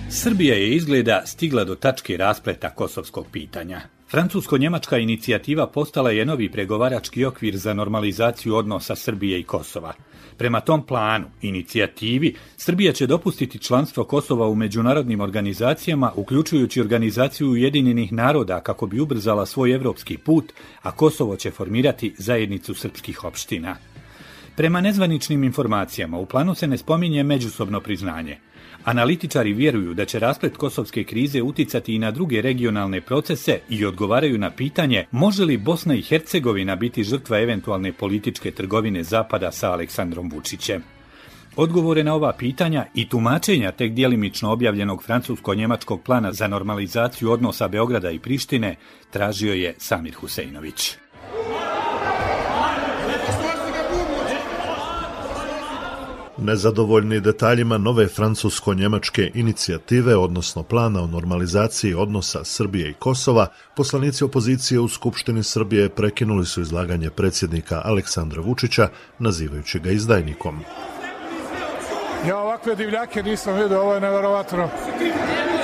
Speaker 7: Srbija je izgleda stigla do tačke raspleta kosovskog pitanja. Francusko-njemačka inicijativa postala je novi pregovarački okvir za normalizaciju odnosa Srbije i Kosova. Prema tom planu, inicijativi, Srbija će dopustiti članstvo Kosova u međunarodnim organizacijama, uključujući Organizaciju Ujedinjenih naroda kako bi ubrzala svoj evropski put, a Kosovo će formirati zajednicu srpskih opština. Prema nezvaničnim informacijama, u planu se ne spominje međusobno priznanje. Analitičari vjeruju da će rasplet kosovske krize uticati i na druge regionalne procese i odgovaraju na pitanje može li Bosna i Hercegovina biti žrtva eventualne političke trgovine Zapada sa Aleksandrom Vučićem. Odgovore na ova pitanja i tumačenja tek djelimično objavljenog francusko-njemačkog plana za normalizaciju odnosa Beograda i Prištine tražio je Samir Huseinović.
Speaker 2: Nezadovoljni detaljima nove francusko-njemačke inicijative, odnosno plana o normalizaciji odnosa Srbije i Kosova, poslanici opozicije u Skupštini Srbije prekinuli su izlaganje predsjednika Aleksandra Vučića, nazivajući ga izdajnikom.
Speaker 4: Ja ovakve divljake nisam vidio, ovo je neverovatno.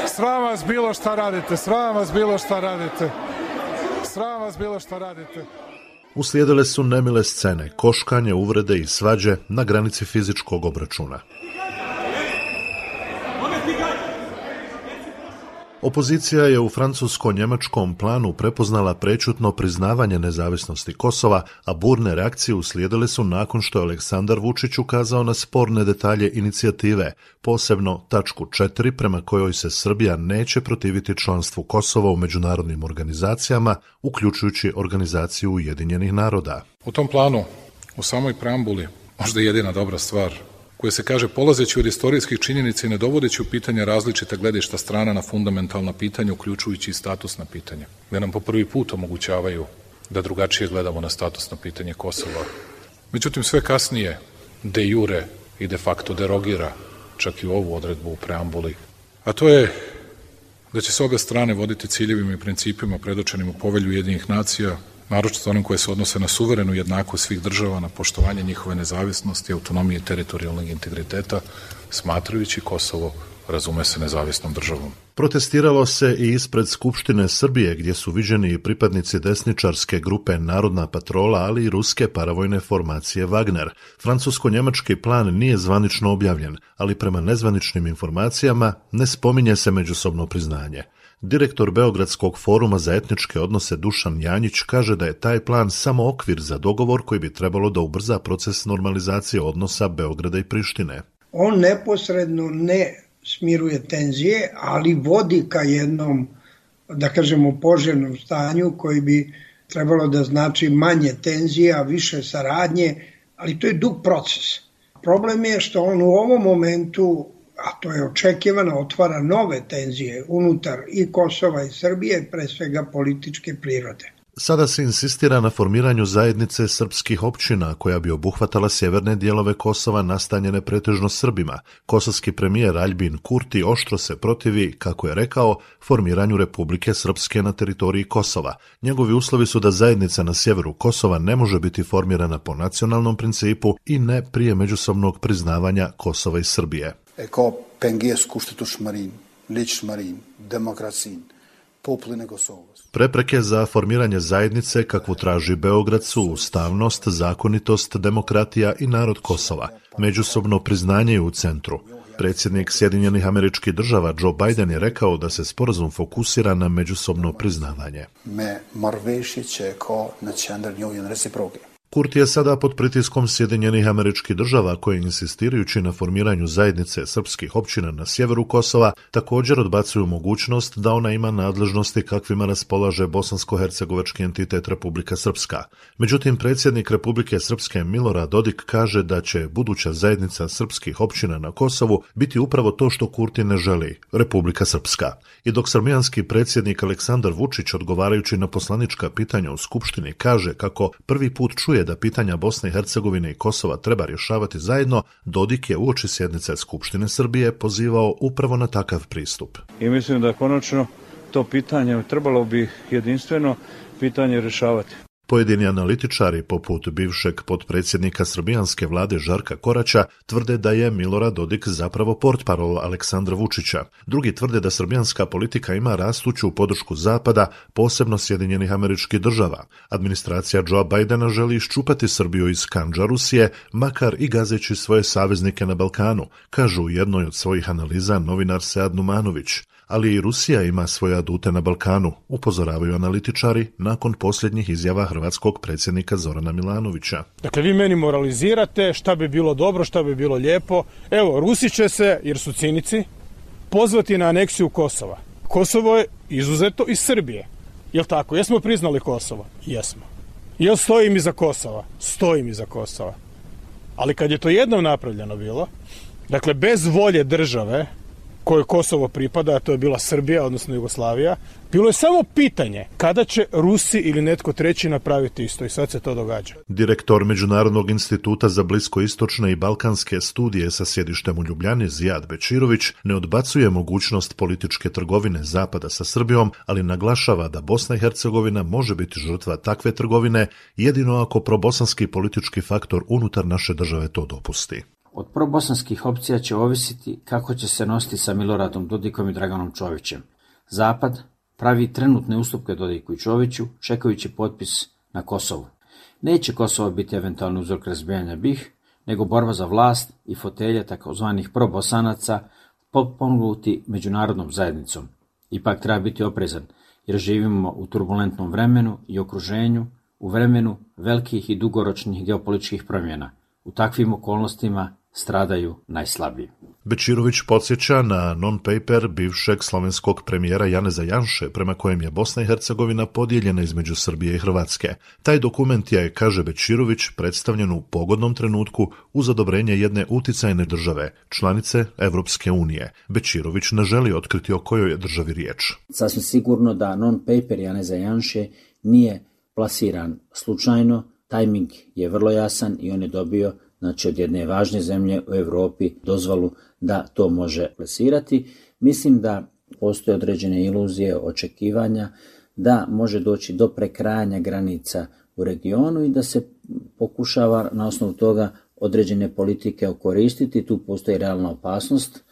Speaker 4: Sram vas bilo šta radite, sram vas bilo šta radite, sram vas bilo šta radite.
Speaker 2: Uslijedile su nemile scene, koškanje, uvrede i svađe na granici fizičkog obračuna. Opozicija je u francusko-njemačkom planu prepoznala prečutno priznavanje nezavisnosti Kosova, a burne reakcije uslijedile su nakon što je Aleksandar Vučić ukazao na sporne detalje inicijative, posebno tačku 4 prema kojoj se Srbija neće protiviti članstvu Kosova u međunarodnim organizacijama, uključujući Organizaciju Ujedinjenih naroda.
Speaker 4: U tom planu, u samoj preambuli, možda jedina dobra stvar, koje se kaže polazeći od istorijskih činjenica i ne dovodeći u pitanje različita gledišta strana na fundamentalna pitanja, uključujući i statusna pitanja, gde nam po prvi put omogućavaju da drugačije gledamo na statusno pitanje Kosova. Međutim, sve kasnije de jure i de facto derogira čak i ovu odredbu u preambuli, a to je da će se obe strane voditi ciljevima i principima predočenim u Povelju Ujedinjenih nacija, naročito onim koje se odnose na suverenu jednakost svih država, na poštovanje njihove nezavisnosti, autonomije i teritorijalnog integriteta, smatrajući Kosovo, razume se, nezavisnom državom.
Speaker 2: Protestiralo se i ispred Skupštine Srbije, gdje su viđeni i pripadnici desničarske grupe Narodna patrola, ali i ruske paravojne formacije Wagner. Francusko-njemački plan nije zvanično objavljen, ali prema nezvaničnim informacijama ne spominje se međusobno priznanje. Direktor Beogradskog foruma za etničke odnose Dušan Janjić kaže da je taj plan samo okvir za dogovor koji bi trebalo da ubrza proces normalizacije odnosa Beograda i Prištine.
Speaker 5: On neposredno ne smiruje tenzije, ali vodi ka jednom, da kažemo, poželjnom stanju koji bi trebalo da znači manje tenzija, više saradnje, ali to je dug proces. Problem je što on u ovom momentu, a to je očekivano, otvara nove tenzije unutar i Kosova i Srbije, pre svega političke prirode.
Speaker 2: Sada se insistira na formiranju zajednice srpskih općina koja bi obuhvatala sjeverne dijelove Kosova nastanjene pretežno Srbima. Kosovski premijer Aljbin Kurti oštro se protivi, kako je rekao, formiranju Republike Srpske na teritoriji Kosova. Njegovi uslovi su da zajednica na sjeveru Kosova ne može biti formirana po nacionalnom principu i ne prije međusobnog priznavanja Kosova i Srbije.
Speaker 21: Eko pengies kuštitušmarin, ličmarin, demokracin, popline Kosovos.
Speaker 2: Prepreke za formiranje zajednice kakvu traži Beograd su ustavnost, zakonitost, demokratija i narod Kosova. Međusobno priznanje je u centru. Predsjednik Sjedinjenih Američkih Država Joe Biden je rekao da se sporazum fokusira na međusobno priznavanje.
Speaker 21: Me marveši čeko na čendernju reciproke.
Speaker 2: Kurti je sada pod pritiskom Sjedinjenih Američkih Država koje, insistirajući na formiranju zajednice srpskih općina na sjeveru Kosova, također odbacuju mogućnost da ona ima nadležnosti kakvima raspolaže bosansko-hercegovački entitet Republika Srpska. Međutim, predsjednik Republike Srpske Milorad Dodik kaže da će buduća zajednica srpskih općina na Kosovu biti upravo to što Kurti ne želi, Republika Srpska. I dok srbijanski predsjednik Aleksandar Vučić, odgovarajući na poslanička pitanja u Skupštini, kaže kako prvi put čuje da pitanja Bosne i Hercegovine i Kosova treba rješavati zajedno, Dodik je uoči sjednice Skupštine Srbije pozivao upravo na takav pristup.
Speaker 6: I mislim da konačno to pitanje trebalo bi jedinstveno pitanje rješavati.
Speaker 2: Pojedini analitičari, poput bivšeg potpredsjednika srbijanske vlade Žarka Koraća, tvrde da je Milorad Dodik zapravo portparol Aleksandra Vučića. Drugi tvrde da srbijanska politika ima rastuću podršku Zapada, posebno Sjedinjenih Američkih Država. Administracija Joea Bidena želi iščupati Srbiju iz kandža Rusije, makar i gazeći svoje saveznike na Balkanu, kažu u jednoj od svojih analiza novinar Sead Numanović. Ali i Rusija ima svoje adute na Balkanu, upozoravaju analitičari nakon posljednjih izjava hrvatskog predsjednika Zorana Milanovića.
Speaker 6: Dakle, vi meni moralizirate šta bi bilo dobro, šta bi bilo lijepo. Evo, Rusi će se, jer su cinici, pozvati na aneksiju Kosova. Kosovo je izuzeto iz Srbije. Jel tako? Jesmo priznali Kosovo? Jesmo. Jel stojim iza Kosova? Stojim iza Kosova. Ali kad je to jednom napravljeno bilo, dakle, bez volje države kojoj Kosovo pripada, a to je bila Srbija, odnosno Jugoslavija, bilo je samo pitanje kada će Rusi ili netko treći napraviti isto i sad se to događa.
Speaker 2: Direktor Međunarodnog instituta za bliskoistočne i balkanske studije sa sjedištem u Ljubljani Zijad Bečirović ne odbacuje mogućnost političke trgovine Zapada sa Srbijom, ali naglašava da Bosna i Hercegovina može biti žrtva takve trgovine jedino ako probosanski politički faktor unutar naše države to dopusti.
Speaker 10: Od probosanskih opcija će ovisiti kako će se nositi sa Miloradom Dodikom i Draganom Čovićem. Zapad pravi trenutne ustupke Dodiku i Čoviću, čekajući potpis na Kosovu. Neće Kosovo biti eventualni uzrok razbijanja BiH, nego borba za vlast i fotelje takozvanih probosanaca potpomognuti međunarodnom zajednicom. Ipak treba biti oprezan, jer živimo u turbulentnom vremenu i okruženju, u vremenu velikih i dugoročnih geopolitičkih promjena. U takvim okolnostima stradaju najslabiji.
Speaker 2: Bečirović podsjeća na non-paper bivšeg slovenskog premijera Janeza Janše, prema kojem je Bosna i Hercegovina podijeljena između Srbije i Hrvatske. Taj dokument je, kaže Bečirović, predstavljen u pogodnom trenutku uz odobrenje jedne uticajne države, članice Evropske unije. Bečirović ne želi otkriti o kojoj je državi riječ.
Speaker 10: Sasvim sigurno da non-paper Janeza Janše nije plasiran slučajno. Tajming je vrlo jasan i on je dobio, znači, od jedne važne zemlje u Europi dozvolu da to može plasirati. Mislim da postoje određene iluzije, očekivanja da može doći do prekrajanja granica u regionu i da se pokušava na osnovu toga određene politike okoristiti. Tu postoji realna opasnost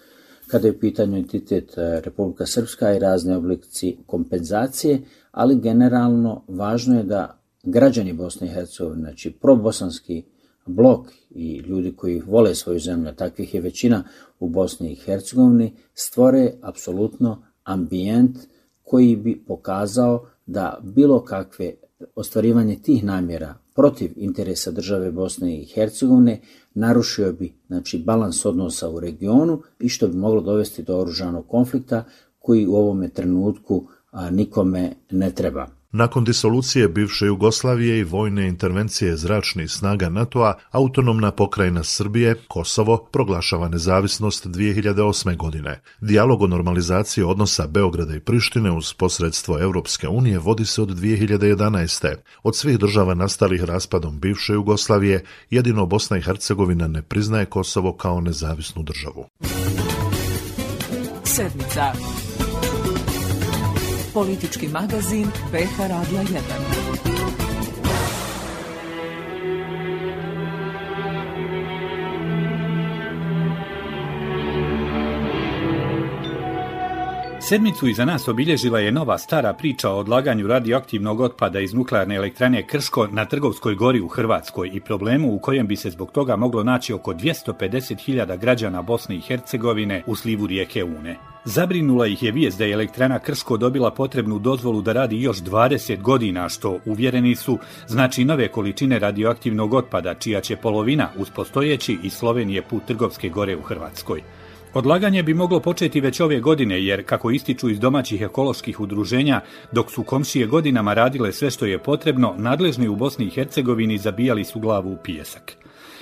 Speaker 10: kada je u pitanju entitet Republika Srpska i razne oblici kompenzacije, ali generalno važno je da građani Bosne i Hercegovine, znači probosanski blok i ljudi koji vole svoju zemlju, takvih je većina u Bosni i Hercegovini, stvore apsolutno ambijent koji bi pokazao da bilo kakve ostvarivanje tih namjera protiv interesa države Bosne i Hercegovine narušio bi, znači, balans odnosa u regionu i što bi moglo dovesti do oružanog konflikta koji u ovome trenutku nikome ne treba.
Speaker 2: Nakon disolucije bivše Jugoslavije i vojne intervencije zračnih snaga NATO-a, autonomna pokrajina Srbije, Kosovo, proglašava nezavisnost 2008. godine. Dijalog o normalizaciji odnosa Beograda i Prištine uz posredstvo Evropske unije vodi se od 2011. Od svih država nastalih raspadom bivše Jugoslavije, jedino Bosna i Hercegovina ne priznaje Kosovo kao nezavisnu državu.
Speaker 1: Sedmica. Politički magazin BH Radija 1.
Speaker 8: Sedmicu iza nas obilježila je nova stara priča o odlaganju radioaktivnog otpada iz nuklearne elektrane Krško na Trgovskoj gori u Hrvatskoj i problemu u kojem bi se zbog toga moglo naći oko 250.000 građana Bosne i Hercegovine u slivu rijeke Une. Zabrinula ih je vijest da je elektrana Krško dobila potrebnu dozvolu da radi još 20 godina, što, uvjereni su, znači nove količine radioaktivnog otpada, čija će polovina uz postojeći iz Slovenije put Trgovske gore u Hrvatskoj. Odlaganje bi moglo početi već ove godine, jer, kako ističu iz domaćih ekoloških udruženja, dok su komšije godinama radile sve što je potrebno, nadležni u Bosni i Hercegovini zabijali su glavu u pijesak.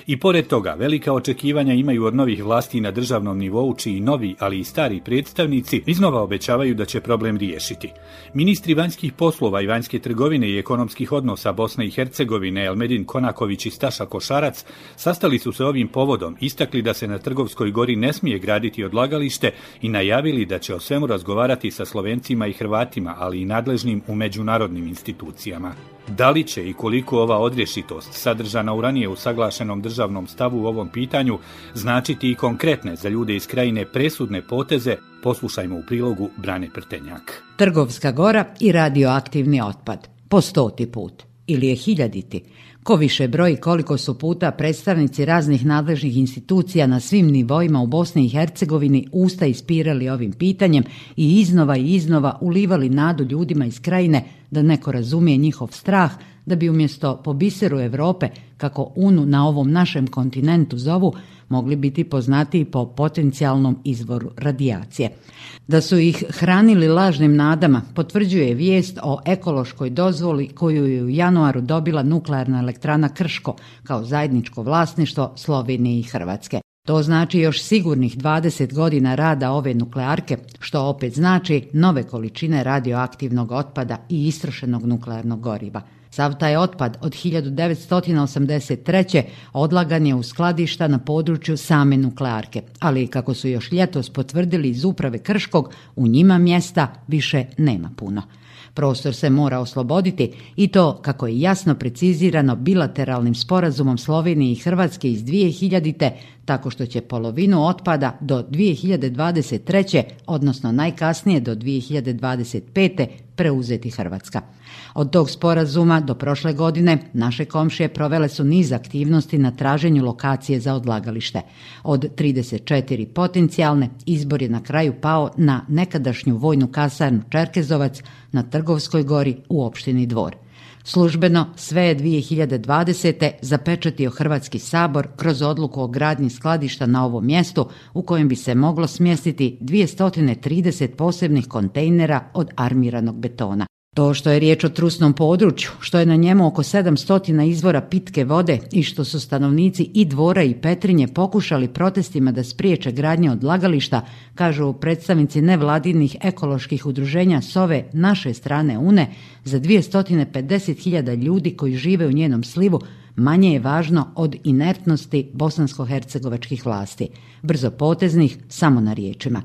Speaker 7: I pored toga, velika očekivanja imaju od novih vlasti na državnom nivou, čiji novi, ali i stari predstavnici iznova obećavaju da će problem riješiti. Ministri vanjskih poslova i vanjske trgovine i ekonomskih odnosa Bosne i Hercegovine Elmedin Konaković i Staša Košarac sastali su se ovim povodom, istakli da se na Trgovskoj gori ne smije graditi odlagalište i najavili da će o svemu razgovarati sa Slovencima i Hrvatima, ali i nadležnim u međunarodnim institucijama. Da li će i koliko ova odrješitost, sadržana u ranije usaglašenom državnom stavu u ovom pitanju, značiti i konkretne za ljude iz krajine presudne poteze, poslušajmo u prilogu Brane Prtenjak.
Speaker 11: Trgovska gora i radioaktivni otpad. Po 100. put. Ili je 1000. Ko više broji koliko su puta predstavnici raznih nadležnih institucija na svim nivoima u Bosni i Hercegovini usta ispirali ovim pitanjem i iznova ulivali nadu ljudima iz krajine da neko razumije njihov strah, da bi umjesto po biseru Europe, kako UNU na ovom našem kontinentu zovu, mogli biti poznatiji po potencijalnom izvoru radijacije. Da su ih hranili lažnim nadama potvrđuje vijest o ekološkoj dozvoli koju je u januaru dobila nuklearna elektrana Krško kao zajedničko vlasništvo Slovenije i Hrvatske. To znači još sigurnih 20 godina rada ove nuklearke, što opet znači nove količine radioaktivnog otpada i istrošenog nuklearnog goriva. Sav taj otpad od 1983. odlagan je u skladišta na području same nuklearke, ali kako su još ljetos potvrdili iz uprave Krškog, u njima mjesta više nema puno. Prostor se mora osloboditi i to, kako je jasno precizirano bilateralnim sporazumom Slovenije i Hrvatske iz 2000. tako što će polovinu otpada do 2023. odnosno najkasnije do 2025. preuzeti Hrvatska. Od tog sporazuma do prošle godine naše komšije provele su niz aktivnosti na traženju lokacije za odlagalište. Od 34 potencijalne, izbor je na kraju pao na nekadašnju vojnu kasarnu Čerkezovac na Trgovskoj gori u opštini Dvor. Službeno sve je 2020. zapečatio Hrvatski sabor kroz odluku o gradnji skladišta na ovom mjestu u kojem bi se moglo smjestiti 230 posebnih kontejnera od armiranog betona. To što je riječ o trusnom području, što je na njemu oko 700 izvora pitke vode i što su stanovnici i Dvora i Petrinje pokušali protestima da spriječe gradnje odlagališta, kažu predstavnici nevladinih ekoloških udruženja s ove naše strane Une, za 250.000 ljudi koji žive u njenom slivu, manje je važno od inertnosti bosansko-hercegovačkih vlasti, brzopoteznih samo na riječima.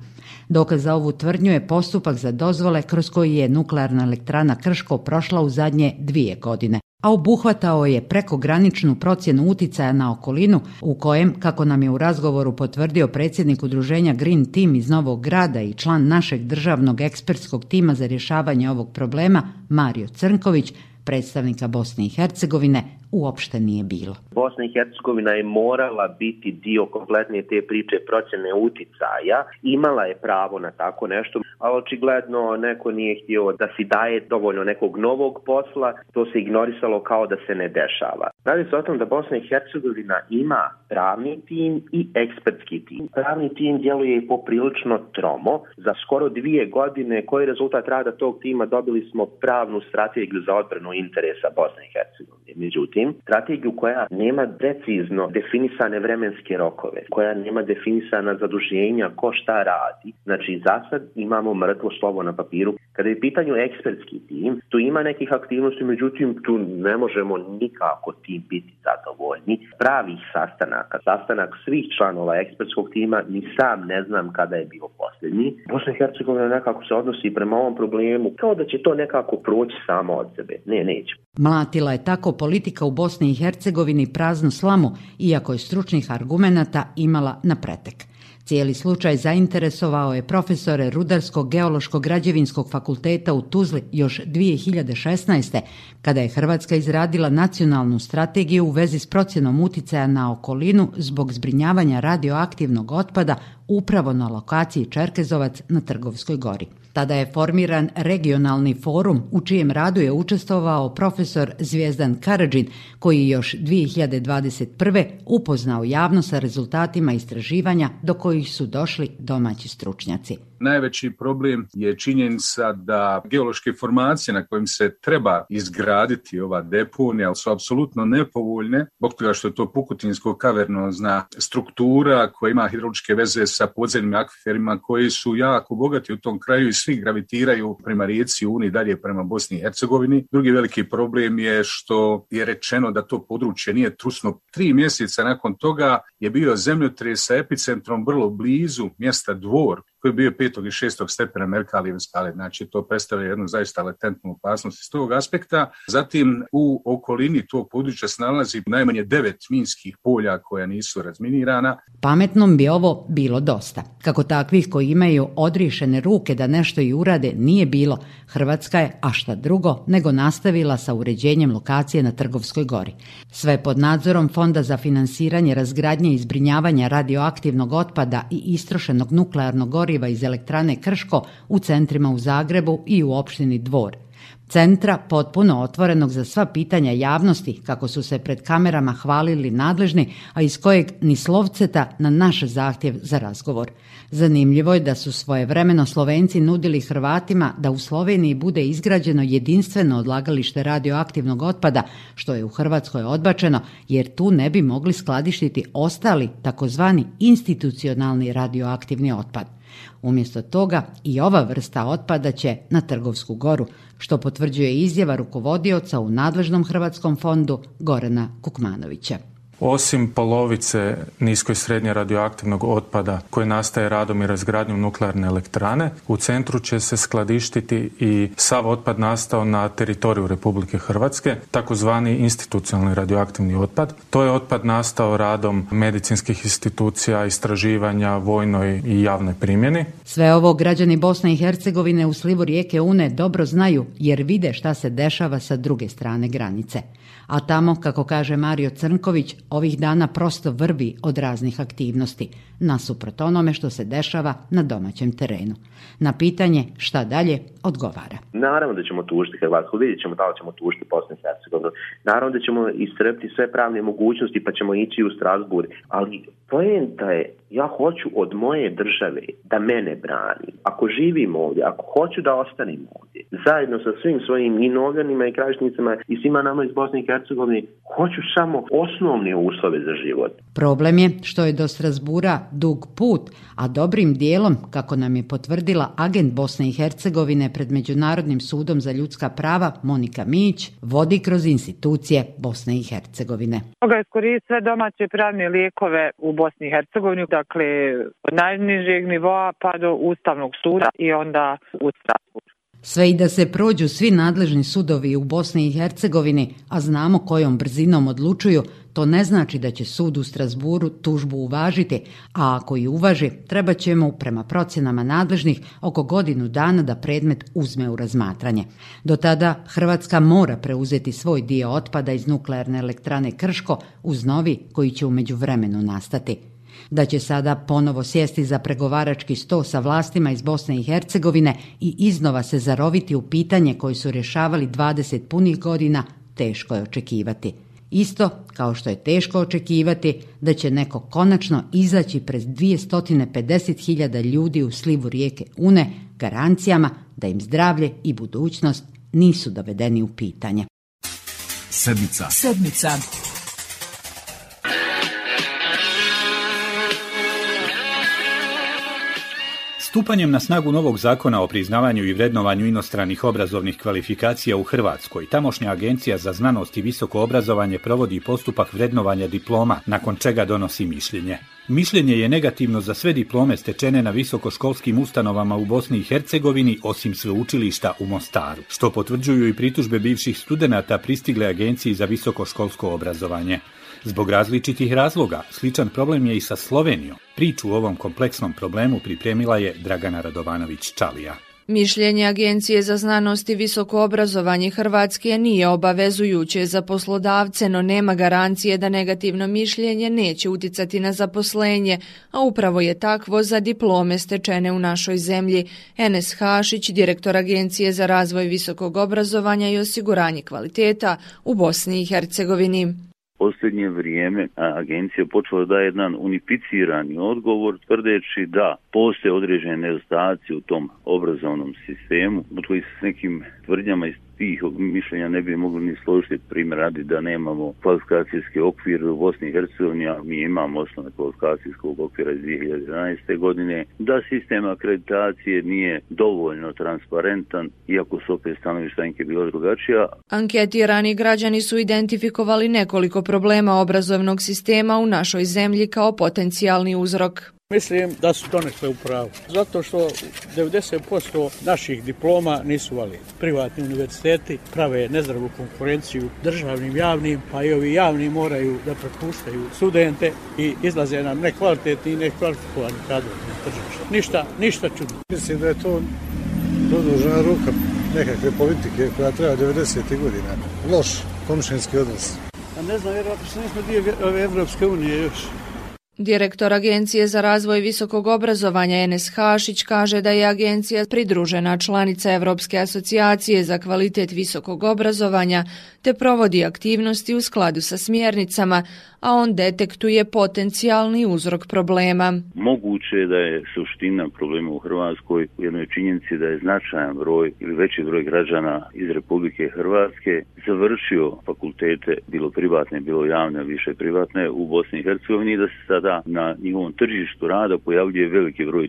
Speaker 11: Dokaz za ovu tvrdnju je postupak za dozvole kroz koji je nuklearna elektrana Krško prošla u zadnje 2 godine, a obuhvatao je prekograničnu procjenu uticaja na okolinu u kojem, kako nam je u razgovoru potvrdio predsjednik udruženja Green Team iz Novog Grada i član našeg državnog ekspertskog tima za rješavanje ovog problema, Mario Crnković, predstavnika Bosne i Hercegovine, uopšte nije bilo.
Speaker 12: Bosna i Hercegovina je morala biti dio kompletne te priče procjene uticaja, imala je pravo na tako nešto, ali očigledno neko nije htio da si daje dovoljno nekog novog posla, to se ignorisalo kao da se ne dešava. Radi se o tom da Bosna i Hercegovina ima pravni tim i ekspertski tim. Pravni tim djeluje poprilično tromo. Za skoro 2 godine koji je rezultat rada tog tima dobili smo pravnu strategiju za odbranu interesa Bosne i Hercegovine. Međutim, strategiju koja nema precizno definisane vremenske rokove, koja nema definisana zaduženja, ko šta radi. Znači, za sad imamo mrtvo slovo na papiru. Kada je u pitanju ekspertski tim, tu ima nekih aktivnosti, međutim, tu ne možemo nikako tim biti zadovoljni. Pravih sastanak svih članova ekspertskog tima, ni sam ne znam kada je bio posljednji. Bosna i Hercegovina nekako se odnosi prema ovom problemu kao da će to nekako proći samo od sebe. Neće.
Speaker 11: Mlatila je tako politika u Bosni i Hercegovini praznu slamu, iako je stručnih argumenata imala na pretek. Cijeli slučaj zainteresovao je profesore Rudarsko-geološkog građevinskog fakulteta u Tuzli još 2016. kada je Hrvatska izradila nacionalnu strategiju u vezi s procjenom uticaja na okolinu zbog zbrinjavanja radioaktivnog otpada upravo na lokaciji Čerkezovac na Trgovskoj gori. Tada je formiran regionalni forum u čijem radu je učestvovao profesor Zvijezdan Karadžin, koji još 2021. upoznao javnost sa rezultatima istraživanja do kojih su došli domaći stručnjaci.
Speaker 13: Najveći problem je činjenica da geološke formacije na kojim se treba izgraditi ova deponija su apsolutno nepovoljne, zbog toga što je to pukutinsko-kavernozna struktura koja ima hidrološke veze sa podzemnim akviferima koji su jako bogati u tom kraju i svi gravitiraju prema rijeci Uni dalje prema Bosni i Hercegovini. Drugi veliki problem je što je rečeno da to područje nije trusno. 3 mjeseca nakon toga je bio zemljotres sa epicentrom vrlo blizu mjesta Dvor, koji je bio 5. i 6. stepena Merkalijeve skale. Znači, to predstavlja jednu zaista latentnu opasnost iz tog aspekta. Zatim, u okolini tog područja se nalazi najmanje 9 minskih polja koja nisu razminirana.
Speaker 11: Pametnom bi ovo bilo dosta. Kako takvih koji imaju odriješene ruke da nešto i urade nije bilo, Hrvatska je, a šta drugo, nego nastavila sa uređenjem lokacije na Trgovskoj gori. Sve pod nadzorom Fonda za finansiranje razgradnje i zbrinjavanja radioaktivnog otpada i istrošenog nuklearnog goriva iz elektrane Krško u centrima u Zagrebu i u opštini Dvor. Centra potpuno otvorenog za sva pitanja javnosti, kako su se pred kamerama hvalili nadležni, a iz kojeg ni slovceta na naš zahtjev za razgovor. Zanimljivo je da su svojevremeno Slovenci nudili Hrvatima da u Sloveniji bude izgrađeno jedinstveno odlagalište radioaktivnog otpada, što je u Hrvatskoj odbačeno, jer tu ne bi mogli skladištiti ostali takozvani institucionalni radioaktivni otpad. Umjesto toga i ova vrsta otpada će na Trgovsku goru, što potvrđuje izjava rukovodioca u nadležnom Hrvatskom fondu Gorana Kukmanovića.
Speaker 14: Osim polovice nisko i srednje radioaktivnog otpada koji nastaje radom i razgradnjom nuklearne elektrane, u centru će se skladištiti i sav otpad nastao na teritoriju Republike Hrvatske, takozvani institucionalni radioaktivni otpad. To je otpad nastao radom medicinskih institucija, istraživanja, vojnoj i javnoj primjeni.
Speaker 11: Sve ovo građani Bosne i Hercegovine u slivu rijeke Une dobro znaju, jer vide šta se dešava sa druge strane granice. A tamo, kako kaže Mario Crnković, ovih dana prosto vrvi od raznih aktivnosti, nasuprot onome što se dešava na domaćem terenu. Na pitanje šta dalje odgovara.
Speaker 12: Naravno da ćemo tužiti Hrvatsku, vidjet ćemo da li ćemo tužiti Bosnu i Hercegovinu. Naravno da ćemo iscrpiti sve pravne mogućnosti pa ćemo ići u Strasbourg, ali poenta je, ja hoću od moje države da mene brani. Ako živim ovdje, ako hoću da ostanem ovdje, zajedno sa svim svojim i novljanima i krajišnicama i svima nama iz Bosne i Hercegovine, hoću samo osnovne uslove za život.
Speaker 11: Problem je što je do Strasbura dug put, a dobrim dijelom, kako nam je potvrdila agent Bosne i Hercegovine pred Međunarodnim sudom za ljudska prava Monika Mić, vodi kroz institucije Bosne i Hercegovine.
Speaker 16: Toga je koristiti sve domaće pravne lijekove u Bosni i Hercegovini, dakle od najnižeg nivoa pa do Ustavnog suda i onda u Strasburu.
Speaker 11: Sve i da se prođu svi nadležni sudovi u Bosni i Hercegovini, a znamo kojom brzinom odlučuju, to ne znači da će sud u Strasburu tužbu uvažiti, a ako i uvaži, treba će mu, prema procjenama nadležnih, oko godinu dana da predmet uzme u razmatranje. Do tada Hrvatska mora preuzeti svoj dio otpada iz nuklearne elektrane Krško uz novi koji će u međuvremenu nastati. Da će sada ponovo sjesti za pregovarački sto sa vlastima iz Bosne i Hercegovine i iznova se zaroviti u pitanje koje su rješavali 20 punih godina, teško je očekivati. Isto kao što je teško očekivati da će neko konačno izaći pred 250.000 ljudi u slivu rijeke Une garancijama da im zdravlje i budućnost nisu dovedeni u pitanje.
Speaker 1: Sedmica.
Speaker 7: Stupanjem na snagu novog zakona o priznavanju i vrednovanju inostranih obrazovnih kvalifikacija u Hrvatskoj, tamošnja Agencija za znanost i visoko obrazovanje provodi postupak vrednovanja diploma, nakon čega donosi mišljenje. Mišljenje je negativno za sve diplome stečene na visokoškolskim ustanovama u Bosni i Hercegovini, osim sveučilišta u Mostaru, što potvrđuju i pritužbe bivših studenata pristigle Agenciji za visokoškolsko obrazovanje. Zbog različitih razloga, sličan problem je i sa Slovenijom. Priču o ovom kompleksnom problemu pripremila je Dragana Radovanović-Čalija.
Speaker 17: Mišljenje Agencije za znanost i visoko obrazovanje Hrvatske nije obavezujuće za poslodavce, no nema garancije da negativno mišljenje neće uticati na zaposlenje, a upravo je takvo za diplome stečene u našoj zemlji. Enes Hašić, direktor Agencije za razvoj visokog obrazovanja i osiguranje kvaliteta u Bosni i Hercegovini.
Speaker 3: posljednje vrijeme agencija počela da je jedan unificirani odgovor tvrdeći da postoje određene nedostaci u tom obrazovnom sistemu, od kojih s nekim tvrdnjama iz tih mišljenja ne bi mogli ni složiti. Primjer radi da nemamo kvalifikacijski okvir u Bosni i Hercegovini, a mi imamo osnovne kvalifikacijskog okvira iz 2011. godine, da sistem akreditacije nije dovoljno transparentan, iako su opet stanovišta Anke bila drugačija.
Speaker 17: Anketirani građani su identifikovali nekoliko problema obrazovnog sistema u našoj zemlji kao potencijalni uzrok.
Speaker 18: Mislim da su donekle u pravu, zato što 90% naših diploma nisu validni. Privatni univerziteti prave nezdravu konkurenciju državnim, javnim, pa i ovi javni moraju da prepuštaju studente i izlaze nam nekvalitetni i nekvalifikovani kadrovi na tržište. Ništa čudno.
Speaker 19: Mislim da je to produžena ruka nekakve politike koja treba 90. godina. Loš komšinski odnos.
Speaker 18: A ne znam, vjerojatno što nismo dio ove Evropske unije još.
Speaker 17: Direktor Agencije za razvoj visokog obrazovanja Enes Hašić kaže da je agencija pridružena članica Evropske asocijacije za kvalitet visokog obrazovanja te provodi aktivnosti u skladu sa smjernicama, a on detektuje potencijalni uzrok problema.
Speaker 3: Moguće je da je suština problema u Hrvatskoj u jednoj činjenici da je značajan broj ili veći broj građana iz Republike Hrvatske završio fakultete, bilo privatne, bilo javne, više privatne, u Bosni i Hercegovini, da se sada na njihovom tržištu rada pojavljuje veliki broj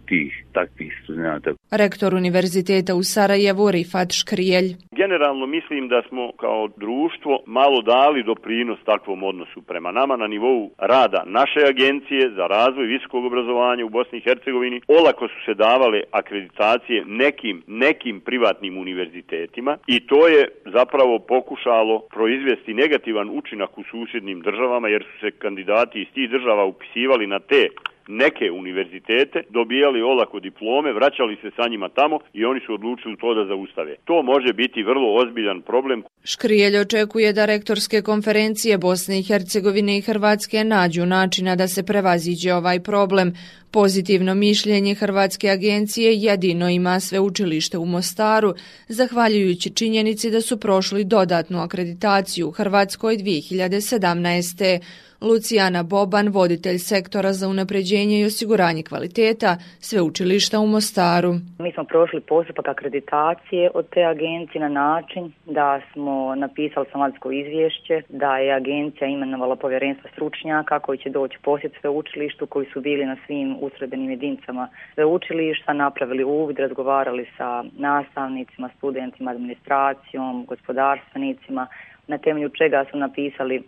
Speaker 3: takvih studenata.
Speaker 17: Rektor Univerziteta u Sarajevu Rifat Škrijelj.
Speaker 20: Generalno mislim da smo kao društvo malo dali doprinos takvom odnosu prema nama na nivou rada naše agencije za razvoj visokog obrazovanja u Bosni i Hercegovini. Olako su se davale akreditacije nekim privatnim univerzitetima i to je zapravo pokušalo proizvesti negativan učinak u susjednim državama, jer su se kandidati iz tih država upisivali na te neke univerzitete, dobijali olako diplome, vraćali se sa njima tamo i oni su odlučili to da zaustave. To može biti vrlo ozbiljan problem.
Speaker 17: Škrijelj očekuje da rektorske konferencije Bosne i Hercegovine i Hrvatske nađu načina da se prevaziđe ovaj problem. Pozitivno mišljenje Hrvatske agencije jedino ima sveučilište u Mostaru, zahvaljujući činjenici da su prošli dodatnu akreditaciju u Hrvatskoj 2017. Lucijana Boban, voditelj sektora za unapređenje i osiguranje kvaliteta sveučilišta u Mostaru.
Speaker 23: Mi smo prošli postupak akreditacije od te agencije na način da smo napisali somatsko izvješće, da je agencija imenovala povjerenstvo stručnjaka koji će doći posjet sveučilištu, koji su bili na svim ustrojbenim jedinicama sveučilišta, napravili uvid, razgovarali sa nastavnicima, studentima, administracijom, gospodarstvenicima, na temelju čega su napisali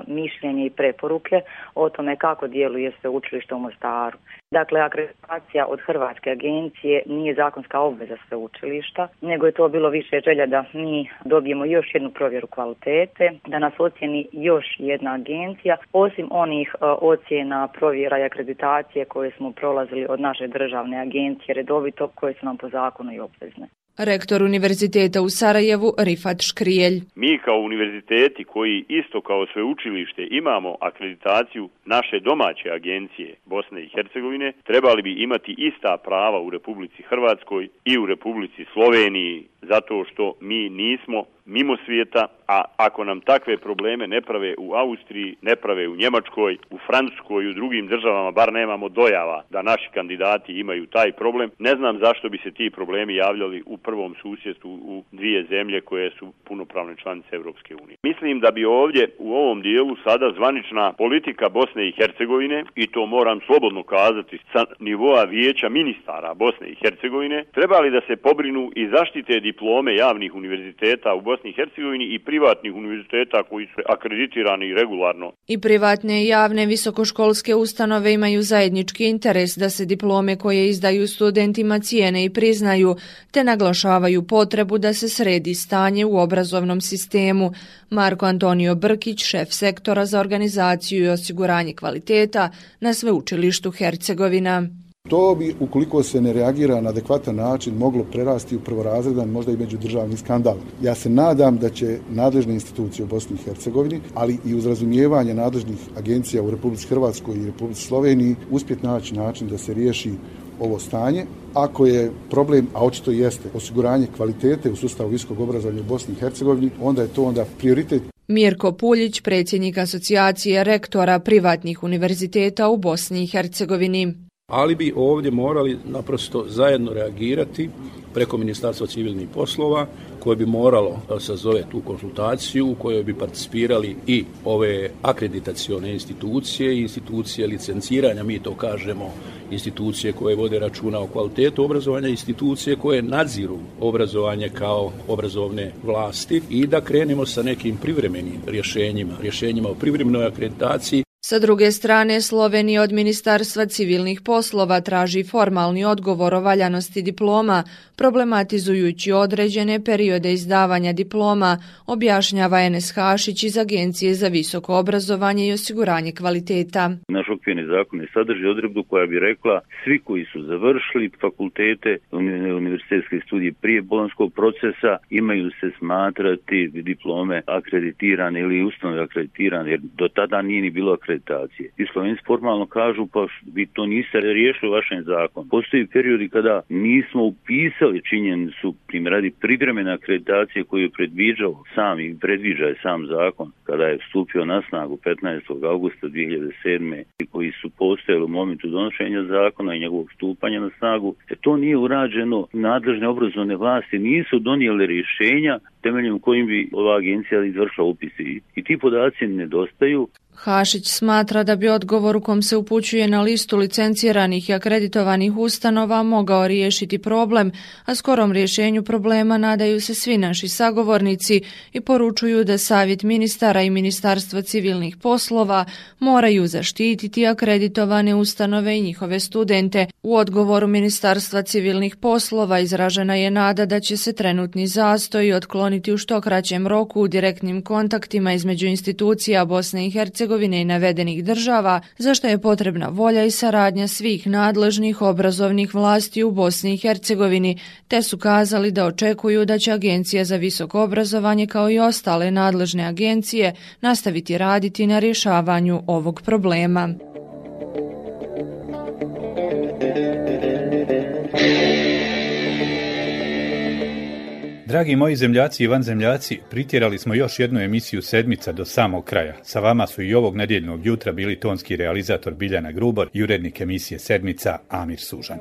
Speaker 23: mišljenje i preporuke o tome kako djeluje sveučilište u Mostaru. Dakle, akreditacija od Hrvatske agencije nije zakonska obveza sveučilišta, nego je to bilo više želja da mi dobijemo još jednu provjeru kvalitete, da nas ocjeni još jedna agencija, osim onih ocjena, provjera i akreditacije koje smo prolazili od naše državne agencije redovito, koje su nam po zakonu i obvezne.
Speaker 17: Rektor Univerziteta u Sarajevu Rifat Škrijelj.
Speaker 20: Mi kao univerziteti koji isto kao sveučilište imamo akreditaciju naše domaće agencije Bosne i Hercegovine, trebali bi imati ista prava u Republici Hrvatskoj i u Republici Sloveniji, zato što mi nismo mimo svijeta, a ako nam takve probleme ne prave u Austriji, ne prave u Njemačkoj, u Francuskoj i u drugim državama, bar nemamo dojava da naši kandidati imaju taj problem, ne znam zašto bi se ti problemi javljali u prvom susjedstvu u dvije zemlje koje su punopravne članice Europske unije. Mislim da bi ovdje u ovom dijelu sada zvanična politika Bosne i Hercegovine, i to moram slobodno kazati sa nivoa vijeća ministara Bosne i Hercegovine, trebali da se pobrinu i zaštite diplome javnih univerziteta u Bosni i Hercegovini i privatnih univerziteta koji su akreditirani regularno.
Speaker 17: I privatne i javne visokoškolske ustanove imaju zajednički interes da se diplome koje izdaju studentima cijene i priznaju, te naglašavaju potrebu da se sredi stanje u obrazovnom sistemu. Marko Antonio Brkić, šef sektora za organizaciju i osiguranje kvaliteta na sveučilištu Hercegovina.
Speaker 26: To bi, ukoliko se ne reagira na adekvatan način, moglo prerasti u prvorazredan, možda i međudržavni skandal. Ja se nadam da će nadležne institucije u Bosni i Hercegovini, ali i uz razumijevanje nadležnih agencija u Republici Hrvatskoj i Republici Sloveniji, uspjeti naći način da se riješi ovo stanje. Ako je problem, a očito jeste, osiguranje kvalitete u sustavu visokog obrazovanja u Bosni i Hercegovini, onda je to prioritet.
Speaker 17: Mirko Puljić, predsjednik asocijacije rektora privatnih univerziteta u Bosni i Hercegovini.
Speaker 4: Ali bi ovdje morali naprosto zajedno reagirati preko Ministarstva civilnih poslova, koje bi moralo sazove tu konsultaciju u kojoj bi participirali i ove akreditacione institucije i institucije licenciranja, mi to kažemo, institucije koje vode računa o kvalitetu obrazovanja, institucije koje nadziru obrazovanje kao obrazovne vlasti i da krenemo sa nekim privremenim rješenjima o privremenoj akreditaciji.
Speaker 17: Sa druge strane, Slovenija od Ministarstva civilnih poslova traži formalni odgovor o valjanosti diploma, problematizujući određene periode izdavanja diploma, objašnjava Enes Hašić iz Agencije za visoko obrazovanje i osiguranje kvaliteta.
Speaker 3: Naš okvirni zakon ne sadrži odredbu koja bi rekla svi koji su završili fakultete, univerzitetske studije prije bolonjskog procesa imaju se smatrati diplome akreditirane ili ustanove akreditirane, jer do tada nije ni bilo akreditacije. I Slovenci formalno kažu pa vi to niste riješili u vašem zakonu. Postoji periodi kada nismo upisali činjenicu radi privremene akreditacije koju je predviđa sam zakon kada je stupio na snagu 15. augusta 2007. i koji su postojali u momentu donošenja zakona i njegovog stupanja na snagu. To nije urađeno, nadležne obrazovne vlasti nisu donijele rješenja temeljem kojim bi ova agencija izvršila upisi. I ti podaci nedostaju.
Speaker 17: Hašić smatra da bi odgovor u kom se upućuje na listu licenciranih i akreditovanih ustanova mogao riješiti problem, a skorom rješenju problema nadaju se svi naši sagovornici i poručuju da Savjet ministara i Ministarstvo civilnih poslova moraju zaštititi akreditovane ustanove i njihove studente. U odgovoru Ministarstva civilnih poslova izražena je nada da će se trenutni zastoj otkloniti u što kraćem roku u direktnim kontaktima između institucija Bosne i Hercegovine i navedenih država, za što je potrebna volja i saradnja svih nadležnih obrazovnih vlasti u Bosni i Hercegovini, te su kazali da očekuju da će Agencija za visoko obrazovanje kao i ostale nadležne agencije nastaviti raditi na rješavanju ovog problema.
Speaker 7: Dragi moji zemljaci i vanzemljaci, pritjerali smo još jednu emisiju Sedmica do samog kraja. Sa vama su i ovog nedjeljnog jutra bili tonski realizator Biljana Grubor i urednik emisije Sedmica Amir Sužanj.